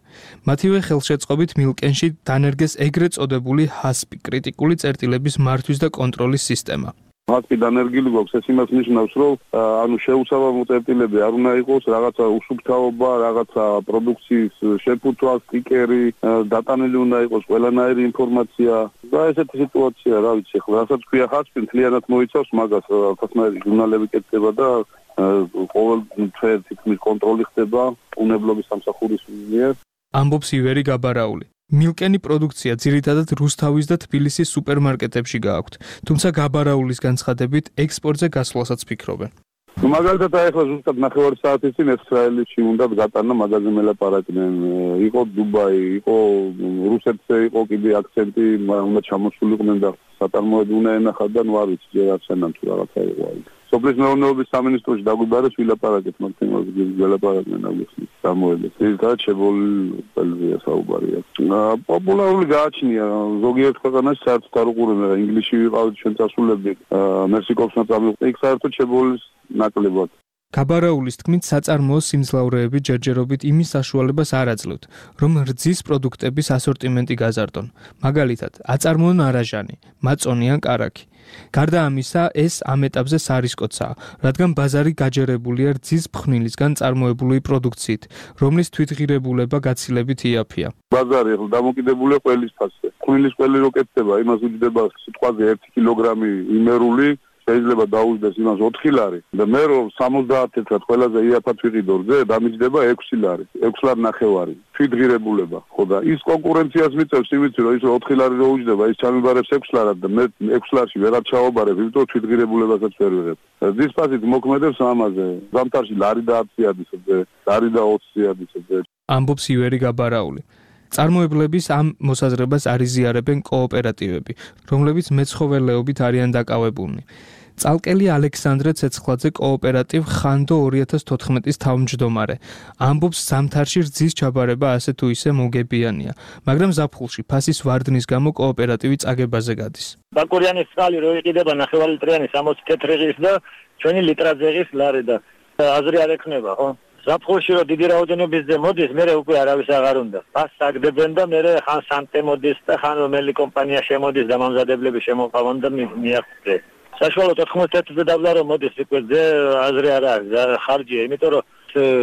მათივე ხელშეწყობით მილკენში დანერგეს ეგრეთ წოდებული ჰასპი კრიტიკული წერტილების მართვის და კონტროლის სისტემა. ჰასპი დანერგილი გვაქვს, ეს იმას ნიშნავს, რომ ანუ შეუსაბამო წერტილები არ უნდა იყოს, რაღაცა უსუფთავობა, რაღაცა პროდუქციის შეფუთვა, სტიკერი, დატანილი უნდა იყოს ყველანაირი ინფორმაცია და ესეთი სიტუაცია, რა ვიცი, ხო, რასაც ქვია ჰასპი, მთლიანად მოიცავს მაგას, რაღაცნაირი ჟურნალები კეთდება და ყოველ თვე თითქმის კონტროლი ხდება უნებლობის სამსახურის მიერ. ამბობს ივერი გაბარაული. მილკენი პროდუქცია ძირითადად რუსთავის და თბილისის სუპერმარკეტებში გააქვთ, თუმცა გაბარაულის განცხადებით ექსპორტზე გასვლასაც ფიქრობენ. მაგალითად, ახლა ზუსტად ნახევარი საათის წინ ესრაელში უნდა გატანა მაგაზე მელაპარაკდნენ. იყო დუბაი, იყო რუსეთზე, იყო კიდე აქცენტი, უნდა ჩამოსულიყვნენ და საწარმოები უნდა ენახათ და ნუ არ ვიცი, ჯერ არცენამ თუ რაღაცა იყო. სოფლის მეურნეობის სამინისტროში დაგვიბარეს ვილაპარაკეთ მაგთემაზე, ვილაპარაკდნენ აგიხსნის გამოედეს. ერთად შებოლილია საუბარია. პოპულარული გააჩნია ზოგიერთ ქვეყანაში საერთოდ არ უყურებენ, ინგლისში ვიყავით ჩვენ წასულები, მერსიკოვსნა წამივყავთ, იქ საერთოდ შებოლის ნაკლებად. გაბარაულის თქმით, საწარმოოს სიმძლავრეები ჯერჯერობით იმის საშუალებას არ აძლევთ, რომ რძის პროდუქტების ასორტიმენტი გაზარდონ. მაგალითად, აწარმოონ არაჟანი, მაწონი ან კარაქი. გარდა ამისა, ეს ამ ეტაპზე სარისკოცაა, რადგან ბაზარი გაჯერებულია რძის ფხვნილისგან წარმოებული პროდუქციით, რომლის თვითღირებულება გაცილებით იაფია. ბაზარი ახლა დამოკიდებულია ყველის ფასზე. ფხვნილის ყველი რო კეთდება, იმას უჯდება სიტყვაზე ერთი კილოგრამი იმერული, შეიძლება დაუჯდეს იმას ოთხი ლარი და მე რომ სამოცდაათი თეთრად ყველაზე იაფად ვიყიდო რძე, დამიჯდება ექვსი ლარი, ექვსი ლარი ნახევარი. თვითღირებულება, ხო და ის კონკურენციას მიწევს, იმით რომ ის ოთხი ლარი რო უჯდება, ის ჩამიბარებს ექვსი ლარად და მე ექვსი ლარში ვერა ჩავაბარებ, იმიტომ რომ თვითღირებულებასაც ვერ ვიღებ. რძის ფასით მოქმედებს ამაზე. ზამთარში ლარი და ათი ადისებზე, ლარი და ოცი ადისებზე. ამბობს ივერი გაბარაული. წარმოებლების ამ მოსაზრებას არიზიარებენ კოოპერატივები, რომლებიც მეცხოველეობით არიან დაკავებულნი. წალკელი ალექსანდრე ცეცხლაძე კოოპერატივ ხანდო ორი ათას თოთხმეტის თავმჯდომარე. ამბობს, ზამთარში რძის ჩაბარება ასე თუ ისე მოგებიანია, მაგრამ ზაფხულში ფასის ვარდნის გამო კოოპერატივი წაგებაზე გადის. ბაკურიანის წყალი რო იყიდება ნახევარი ლიტრიანი სამოცი თეთრი ღის და ჩვენი ლიტრაძე ღის ლარი და აზრი არ ექნება, ხო? ზაფხულში რო დიდი რაოდენობის ზე მოდის, მე უკვე არავის აღარ უნდა. ფასს აგდებენ და მე ხან სანტე მოდის და ხან რომელი კომპანია შემოდის და მომზადებლები შემოყავან და მიაღწევენ. საშუალოდ ოთხმოცდაათზე დაბლა რომ მოდის უკვე ზე აზრი არ არის, ხარჯია, იმიტომ რომ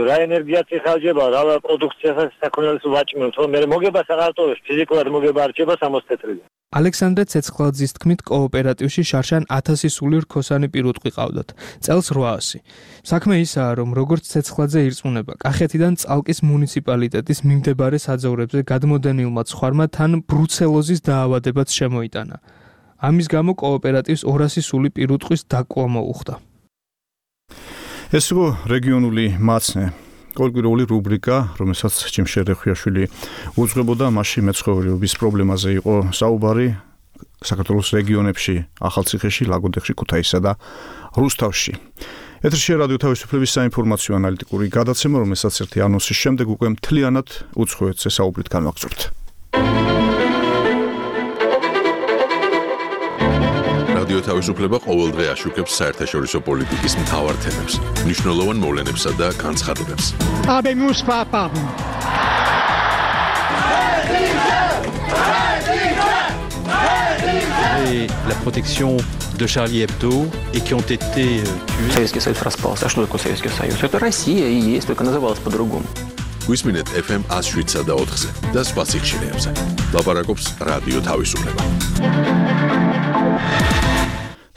რა ენერგიაც იხარჯება, რა პროდუქციასაც საქონელს ვაჭმევთ, ხო, მე მოგებას აღარ ტოვებს, ფიზიკურად მოგება არჩება სამოცი თეთრიდან. ალექსანდრე ცეცხლაძის თქმით, კოოპერატივში შარშან ათასი სული რქოსანი პირუტყვი ყავდათ, წელს რვაასი. საქმე ისაა, რომ როგორც ცეცხლაძე ირწმუნება, კახეთიდან წალკის მუნიციპალიტეტის მიმდებარე საძოვრებზე გადმოდენილმა ცხარმა თან ბრუცელოზის დაავადებაც შემოიტანა. ამის გამო კოოპერატივს ორასი სული პირუტყვის დაკვა მოუხდა. ეს იყო რეგიონული მაცნე. კოლკვირული რუბრიკა, რომელსაც ჯიმშერ რეხვიაშვილი უძღვებოდა, მასში მეცხოველეობის პრობლემაზე იყო საუბარი საქართველოს რეგიონებში, ახალციხეში, ლაგოდეხში, ქუთაისსა და რუსთავში. ეთერში რადიო თავისუფლების საინფორმაციო ანალიტიკური გადაცემა, რომელსაც ერთი ანონსის შემდეგ უკვე მთლიანად უცხოეთზე საუბრით განვაგრძობთ. რადიო თავისუფლება ყოველდღე აშუქებს საერთაშორისო პოლიტიკის მთავარ თემებს, მნიშვნელოვან მოვლენებსა და განცხადებებს. Habemus papam. Et la protection de Charlie Hebdo et qui ont été tués. Советский Союз распался. А что такое Советский Союз? Это Россия и есть, только называлась по-другому. გვისმინეთ эф эм one oh seven და four-ზე და სხვა სიხშირეებზე. ლაპარაკობს რადიო თავისუფლება.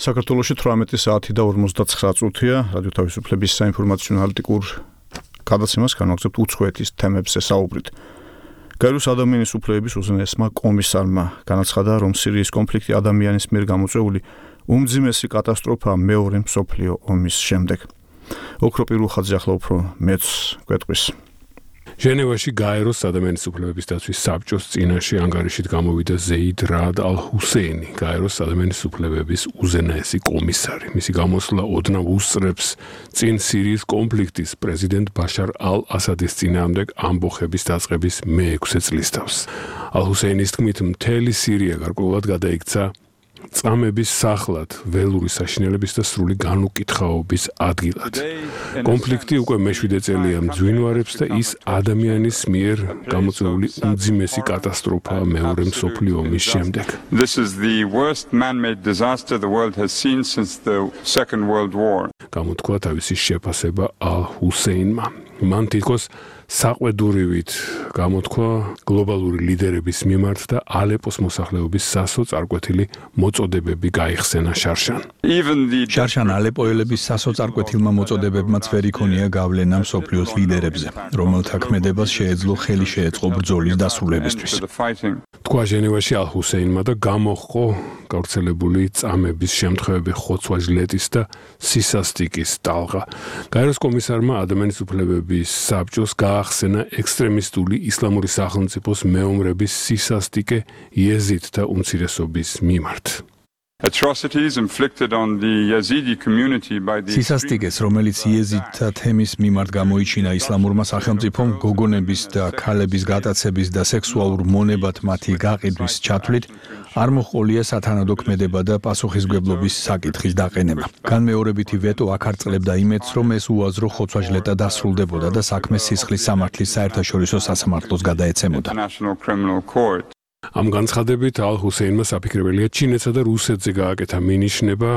საქართველოში თვრამეტი საათი და ორმოცდაცხრა წუთია. რადიო თავისუფლების საინფორმაციო ანალიტიკურ გადაცემას განვაგრძობთ უცხოეთის თემებზე საუბრით. გაეროს ადამიანის უფლებების უზენაესმა კომისარმა განაცხადა, რომ სირიის კონფლიქტი ადამიანის მიერ გამოწვეული უმძიმესი კატასტროფაა მეორე მსოფლიო ომის შემდეგ. ოქროპი რუხაძე ახლა უფრო მეც გვეტყვის. ჟენევაში გაეროს ადამიანის უფლებების დაცვის საბჭოს წინაშე ანგარიშით გამოვიდა ზეიდ რაად ალ-ჰუსეინი, გაეროს ადამიანის უფლებების უზენაესი კომისარი. მისი გამოსვლა ოდნავ უსწრებს წინ სირიის კონფლიქტის პრეზიდენტ ბაშარ ალ-ასადის წინააღმდეგ ამბოხების დაწყების მეექვსე წლისთავს. ალ-ჰუსეინის თქმით, მთელი სირია გარკვეულად გადაიქცა წამების სახლად, ველური საშინელების და სრული განუკითხაობის ადგილად. კონფლიქტი უკვე მეშვიდე წელია მძვინვარებს და ის ადამიანის მიერ გამოწვეული უმძიმესი კატასტროფაა მეორე მსოფლიო ომის შემდეგ. This is the worst man-made disaster the world has seen since the Second World War. გამოთქვა თავისი შეფასება ალ-ჰუსეინმა. მან თითქოს საყვედურივით გამოთქვა გლობალური ლიდერების მიმართ და ალეპოს მოსახლეობის სასო წარკვეთილი მოწოდებები გაიხსენა შარშან. შარშან ალეპოელების სასო წარკვეთილმა მოწოდებებმაც ვერ იქონია გავლენა მსოფლიოს ლიდერებზე, რომელთა ქმედებას შეეძლო ხელი შეეწყო ბრძოლის დასრულებისთვის. თქვა ჟენევაში ალ-ჰუსეინმა და გამოჰყო გავრცელებული წამების შემთხვევები ხოცვა ჟლეტის და სისასტიკის ტალღა. გაეროს კომისარმა ადამიანის უფლებების საბჭოს გაახსენა ექსტრემისტული ისლამური სახელმწიფოს მეომრების სისასტიკე იეზიდთა უმცირესობის მიმართ. Atrocities inflicted on the Yazidi community by the სისასტიკეს, რომელიც იეზიდთა თემის მიმართ გამოიჩინა ისლამურმა სახელმწიფომ გოგონების და ქალების გატაცების და სექსუალურ მონებად მათი გაყიდვის ჩათვლით, არ მოჰყოლია სათანადო ქმედება და პასუხისმგებლობის საკითხის დაყენება. განმეორებითი ვეტო აკარწლებდა იმედს, რომ ეს უაზრო ხოცვა-ჟლეტა დასრულდებოდა და საქმე სისხლის სამართლის საერთაშორისო სასამართლოს გადაეცემოდა. ამ განცხადებით ალ-ჰუსეინმა საფიქრებელია ჩინეთსა და რუსეთზე გააკეთა მინიშნება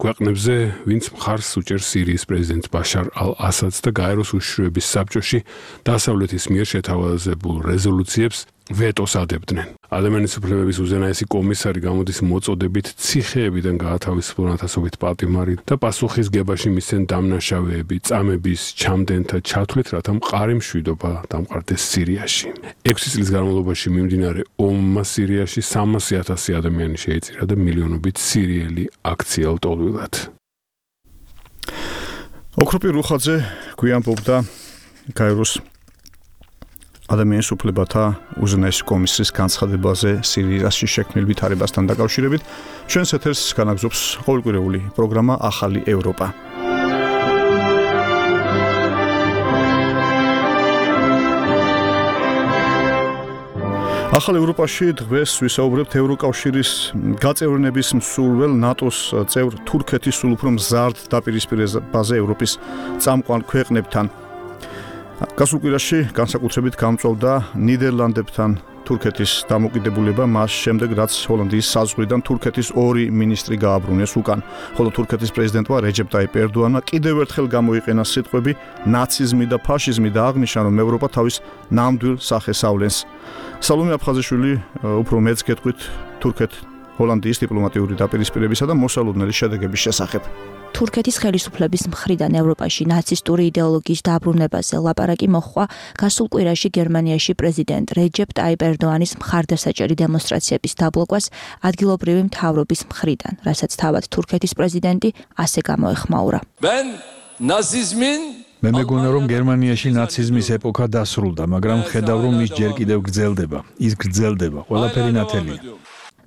ქვეყნებზე, ვინც მხარს უჭერს სირიის პრეზიდენტ ბაშარ ალ-ასადს და გაეროს უშიშროების საბჭოში დასავლეთის მიერ შეთავაზებულ რეზოლუციებს ვეტოს ადებდნენ. ადამიანის უფლებების უზენაესი კომისარი გამოდის მოწოდებით ციხეებიდან გაათავისუფლონ ათასობით პატიმარი და პასუხისგებაში მისცენ დამნაშავეები წამების ჩამდენთა ჩათვლით, რათა მყარი მშვიდობა დამყარდეს სირიაში. ექვსი წლის განმავლობაში მიმდინარე ომმა სირიაში სამასი ათასი ადამიანი შეიწირა და მილიონობით სირიელი აქციელ ტოლვილად. ოქროპი რუხაძე გვიანბობდა გაეროს ადამიანის უფლებათა უზენაესი კომისრის განცხადებაზე სირიაში შექმნილ ვითარებასთან დაკავშირებით. ჩვენს ეთერს განაგზობს ყოველკვირეული პროგრამა ახალი ევროპა. ახალ ევროპაში დღეს ვისაუბრებთ ევროკავშირის გაწევრიანების მსურველ ნატოს წევრ თურქეთის სულ უფრო მზარდ დაპირისპირებაზე ევროპის წამყვან ქვეყნებთან. გასულ კვირაში განსაკუთრებით გამწვავდა ნიდერლანდებთან თურქეთის დამოკიდებულება მას შემდეგ, რაც ჰოლანდიის საზღვრიდან თურქეთის ორი მინისტრი გააბრუნეს უკან, ხოლო თურქეთის პრეზიდენტმა რეჯეპ ტაიპ ერდოანმა კიდევ ერთხელ გამოიყენა სიტყვები ნაციზმი და ფაშიზმი და აღნიშნა, რომ ევროპა თავის ნამდვილ სახეს ავლენს. სალომე აფხაზიშვილი უფრო მეც გეტყვით თურქეთ ჰოლანდიის დიპლომატიური დაპირისპირებისა და მოსალოდნელი შედეგების შესახებ. თურქეთის ხელისუფლების მხრიდან ევროპაში ნაცისტური იდეოლოგიის დაბრუნებაზე ლაპარაკი მოჰყვა გასულ კვირაში გერმანიაში პრეზიდენტ რეჯეპ ტაიპ ერდოანის მხარდასაჭერი დემონსტრაციების დაბლოკვას ადგილობრივი მთავრობის მხრიდან, რასაც თავად თურქეთის პრეზიდენტი ასე გამოეხმაურა. მე მეგონა, რომ გერმანიაში ნაციზმის ეპოქა დასრულდა, მაგრამ ხედავ, რომ ის ჯერ კიდევ გრძელდება. ის გრძელდება, ყველაფერი ნათელია.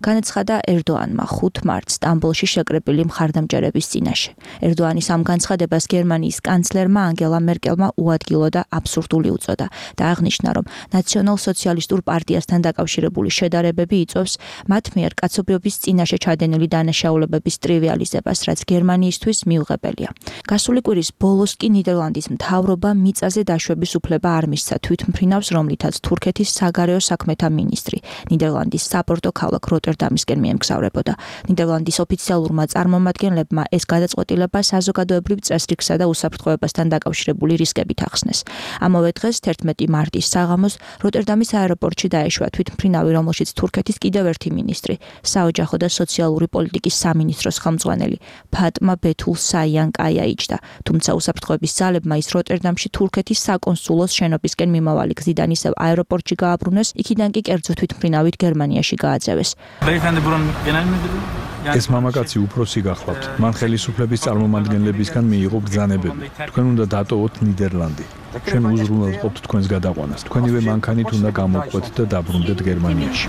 განაცხადა ერდოანმა ხუთ მარტს სტამბოლში შეკრებილი მხარდამჭერების წინაშე. ერდოანის ამ განცხადებას გერმანიის კანცლერმა ანგელა მერკელმა უადგილო და აბსურდული უწოდა და აღნიშნა, რომ ნაციონალ-სოციალისტურ პარტიასთან დაკავშირებული შედარებები იწვევს მათ მიერ კაცობრიობის წინაშე ჩადენილი დანაშაულებების ტრივიალიზებას, რაც გერმანიისთვის მიუღებელია. გასული კვირის ბოლოს კი ნიდერლანდის მთავრობა მიწაზე დაშვების უფლება არ მისცა თვითმფრინავს, რომლითაც თურქეთის საგარეო საქმეთა მინისტრი ნიდერლანდის საპორტო ქალაქ როტერდამისკენ მიემგზავრებოდა. ნიდერლანდის ოფიციალურმა წარმომადგენლებმა ეს გადაწყვეტილება საზოგადოებრივ წესრიგსა და უსაფრთხოებასთან დაკავშირებული რისკებით ახსნეს. ამავე დღეს თერთმეტი მარტის საღამოს როტერდამის აეროპორტში დაეშვა თვითმფრინავი, რომელშიც თურქეთის კიდევ ერთი მინისტრი, საოჯახო და სოციალური პოლიტიკის სამინისტროს ხელმძღვანელი ფატმა ბეთულ საიანკაია იჯდა. თუმცა უსაფრთხოების ძალებმა ის როტერდამში თურქეთის საკონსულოს შენობისკენ მიმავალი გზიდან ისევ აეროპორტში გააბრუნეს, იქიდან კი კერძო თვითმფრინავით გერმანიაში გააძევეს. ეს მამაკაცი უფროსი გახლავთ. მან ხელისუფლების წარმომადგენლებისგან მიიღო ბრძანებები. თქვენ უნდა დატოვოთ ნიდერლანდი. ჩვენ უზრუნველყოფთ თქვენს გადაყვანას. თქვენივე მანქანით უნდა გამოვყვეთ და დაბრუნდეთ გერმანიაში.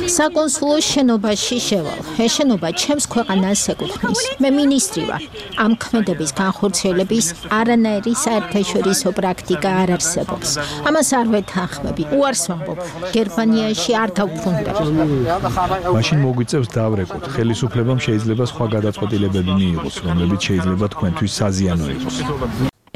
საკონსულოს შენობაში შევალ. ეს შენობა ჩემს ქვეყანას ეკუთვნის. მე მინისტრი ვარ. ამ ქმედების განხორციელების არანაირი საერთაშორისო პრაქტიკა არ არსებობს. ამას არ ვეთანხმები. უარს ვამბობ. გერმანიაში არ დავბრუნდებ. მაშინ მოგვიწევს დავრეკოთ. ხელისუფლებამ შეიძლება სხვა გადაწყვეტილებები მიიღოს, რომლებიც შეიძლება თქვენთვის საზიანო იყოს.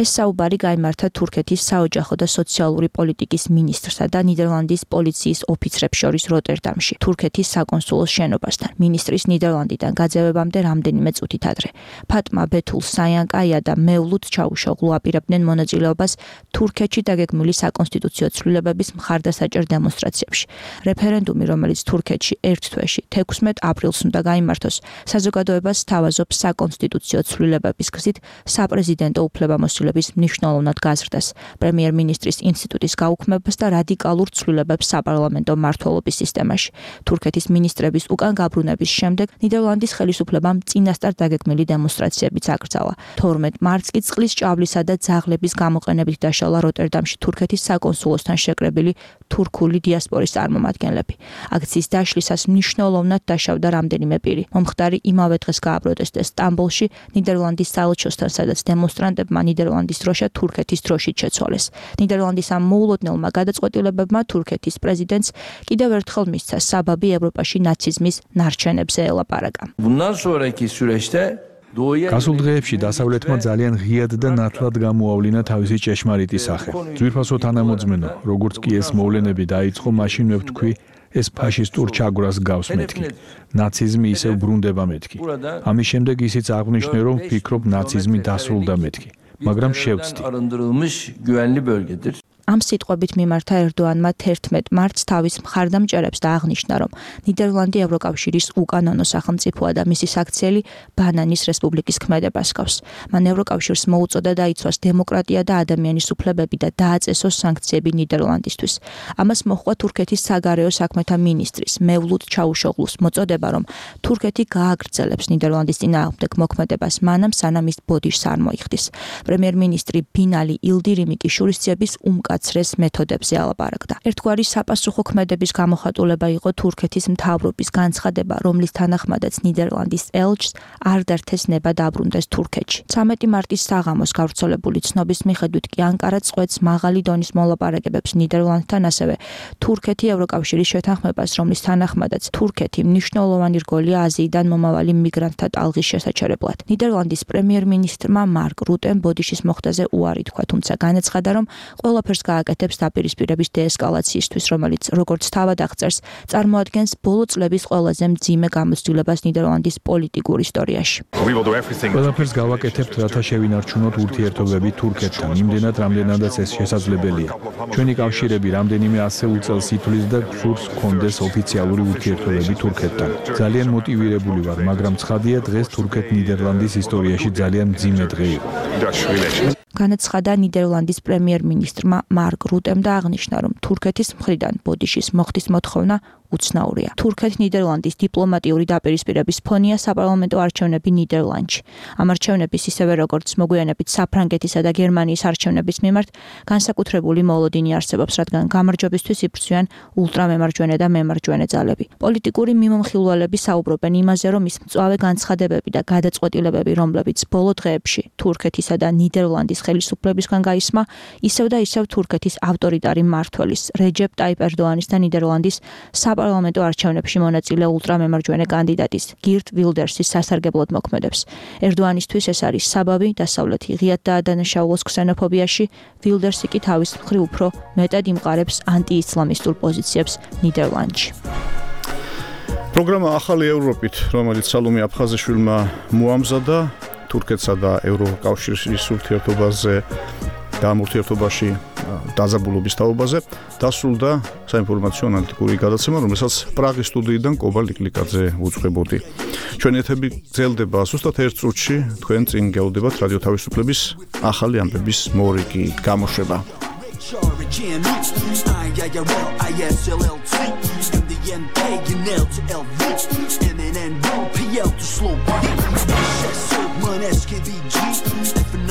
ეს საუბარი გაიმართა თურქეთის საოჯახო და სოციალური პოლიტიკის მინისტრსა და ნიდერლანდის პოლიციის ოფიცრებს შორის როტერდამში, თურქეთის საკონსულოს შენობასთან. მინისტრის ნიდერლანდიდან გაძევებამდე რამდენიმე წუთით ადრე. ფატმა ბეთულ საიანკაია და მევლუდ ჩაუშოღლუ აპირებდნენ მონაწილეობას თურქეთში დაგეგმილი საკონსტიტუციო ცვლილებების მხარდასაჭერ დემონსტრაციებში. რეფერენდუმი, რომელიც თურქეთში ერთ თვეში თექვსმეტ აპრილს უნდა გაიმართოს, საზოგადოებას სთავაზობს საკონსტიტუციო ცვლილებების გზით საპრეზიდენტო უფლებამოსილებას მნიშვნელოვნად გაზრდას, პრემიერ-მინისტრის ინსტიტუტის გაუქმებას და რადიკალურ ცვლილებებს საპარლამენტო მმართველობის სისტემაში. თურქეთის მინისტრების უკან გაბრუნების შემდეგ ნიდერლანდის ხელისუფლებამ წინასწარ დაგეგმილი დემონსტრაციებიც აკრძალა. თორმეტ მარტს კი წყლის ჭავლისა და ძაღლების გამოყენებით დაშალა როტერდამში თურქეთის საკონსულოსთან შეკრებილი თურქული დიასპორის წარმომადგენლები. აქციის დაშლისას მნიშვნელოვნად დაშავდა რამდენიმე პირი. მომხდარი იმავე დღეს გააპროტესტეს სტამბოლში ნიდერლანდის საელჩოსთან, სადაც დემონსტრანტებმა ნიდერლანდის დროშა თურქეთის დროშით შეცვალეს. ნიდერლანდის ამ მოულოდნელმა გადაწყვეტილებებმა თურქეთის პრეზიდენტს კიდევ ერთხელ მისცა საბაბი ევროპაში ნაციზმის ნარჩენებზე ელაპარაკა. გასულ დღეებში დასავლეთმა ძალიან ღიად და ნათლად გამოავლინა თავისი ჭეშმარიტი სახე. ძვირფასო თანამოძმენო, როგორც კი ეს მოვლენები დაიწყო, მაშინ მე ვთქვი, ეს ფაშისტურ ჩაგვრას გავს მეთქი. ნაციზმი ისევ ბრუნდება მეთქი. ამის შემდეგ ისიც აღვნიშნე, რომ ვფიქრობ, ნაციზმი დასრულდა მეთქი. მაგრამ შევცდი. ამ სიტყვებით მიმართა ერდოანმა თერთმეტ მარტს თავის მხარდამჭერებს და აღნიშნა, რომ ნიდერლანდი ევროკავშირის უკანონო სახელმწიფოა და მისი საქციელი ბანანის რესპუბლიკის ქმედებას ჰგავს. მან ევროკავშირს მოუწოდა დაიცვას დემოკრატია და ადამიანის უფლებები და დააწესოს სანქციები ნიდერლანდისთვის. ამას მოჰყვა თურქეთის საგარეო საქმეთა მინისტრის მევლუდ ჩაუშოღლუს მოწოდება, რომ თურქეთი გააგრძელებს ნიდერლანდის წინააღმდეგ მოქმედებას მანამ, სანამ ის ბოდიშს არ მოიხდის. პრემიერ-მინისტრი ბინალი ილდირიმი კი შურისძიების უმკაცრეს მეთოდებზე ალაპარაკდა. ერთგვარი საპასუხო ქმედების გამოხატულება იყო თურქეთის მთავრობის განცხადება, რომლის თანახმადაც ნიდერლანდის ელჩს არ დართეს ნება დაბრუნდეს თურქეთში. ცამეტი მარტის საღამოს გავრცელებული ცნობის მიხედვით კი ანკარა წყვეტს მაღალი დონის მოლაპარაკებებს ნიდერლანდთან, ასევე თურქეთი ევროკავშირის შეთანხმებას, რომლის თანახმადაც თურქეთი მნიშვნელოვანი რგოლია აზიიდან მომავალი მიგრანტთა ტალღის შესაჩერებლად. ნიდერლანდის პრემიერ-მინისტრმა მარკ რუტემ ბოდიშის მოხდაზე უარი თქვა, თუმცა განაცხადა, რომ ყველაფერს გააკეთებს დაპირისპირების დეესკალაციისთვის, რომელიც, როგორც თავად აღწერს, წარმოადგენს ბოლო წლების ყველაზე მძიმე გამოცდილებას ნიდერლანდის პოლიტიკურ ისტორიაში. ყველაფერს გავაკეთებთ, რათა შევინარჩუნოთ ურთიერთობები თურქეთთან, იმდენად, რამდენადაც ეს შესაძლებელია. ჩვენი კავშირები რამდენიმე ასეულ წელს ითვლის და გსურს გქონდეს ოფიციალური ურთიერთობები თურქეთთან. ძალიან მოტივირებული ვარ, მაგრამ ცხადია, დღეს თურქეთ-ნიდერლანდის ისტორიაში ძალიან მძიმე დღე იყო. განაცხადა ნიდერლანდის პრემიერ-მინისტრმა მარკ რუტემ და აღნიშნა, რომ თურქეთის მხრიდან ბოდიშის მოხდის მოთხოვნა უცნაურია. თურქეთ-ნიდერლანდის დიპლომატიური დაპირისპირების ფონია საპარლამენტო არჩევნები ნიდერლანდში. ამ არჩევნების ისევე როგორც მოგვიანებით საფრანგეთისა და გერმანიის არჩევნების მიმართ განსაკუთრებული მოლოდინი არსებობს, რადგან გამარჯვებისთვის იბრძვიან ულტრამემარჯვენე და მემარჯვენე ძალები. პოლიტიკური მიმომხილველები საუბრობენ იმაზე, რომ ის მწვავე განცხადებები და გადაწყვეტილებები, რომლებიც ბოლო დღეებში თურქეთისა და ნიდერლანდის ხელისუფლებისგან გაისმა, ისევ და ისევ თურქეთის ავტორიტარი მმართველის რეჯეპ ტაიპ ერდოანის და ნიდერლანდის საპარლამენტო არჩევნებში მონაწილე ულტრამემარჯვენე კანდიდატის გირტ ვილდერსის სასარგებლოდ მოქმედებს. ერდოანისთვის ეს არის საბაბი დასავლეთი ღიად დაადანაშაულოს ქსენოფობიაში, ვილდერსი კი თავის მხრივ უფრო მეტად იმყარებს ანტიისლამისტურ პოზიციებს ნიდერლანდში. პროგრამა ახალი ევროპით, რომელიც სალომე აფხაზიშვილმა მოამზადა თურქეთსა და ევროკავშირის ურთიერთობაზე და ამ ურთიერთობაში დაძაბულობის თაობაზე დასრულდა საინფორმაციო ანალიტიკური გადაცემა, რომელსაც პრაღის სტუდიიდან კობა ლიკლიკაძე უძღვებოდი. ჩვენი ეთერი გრძელდება ზუსტად ერთ წუთში, თქვენ წინ გეავდებათ რადიო თავისუფლების ახალი ამბების მორიგი გამოშვება.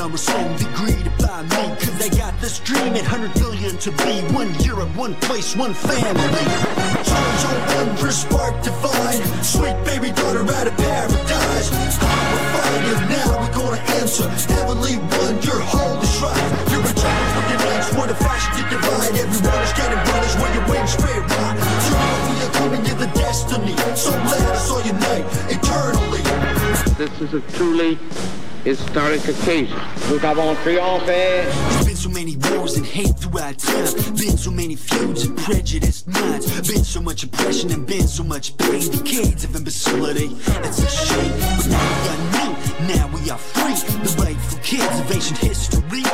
Numbers so agreed by me, cause they got this dream at one hundred billion to be one Europe, one place, one family. Charge on wondrous spark divine, sweet baby daughter out of paradise. We're fire now, we're gonna answer heavenly one, your holy shrine. You're a child for your names, what a fashion to divide. Everyone is getting brothers when your wings straight right. Tomorrow we are coming to the destiny, so let us all unite eternally. This is a truly historic occasion. Nous avons triomphé. There's been so many wars and hate throughout time. Been so many feuds and prejudiced minds. Been so much oppression and been so much pain. Decades of imbecility. It's a shame. But now we are new. Now we are free. The rightful kids of ancient history.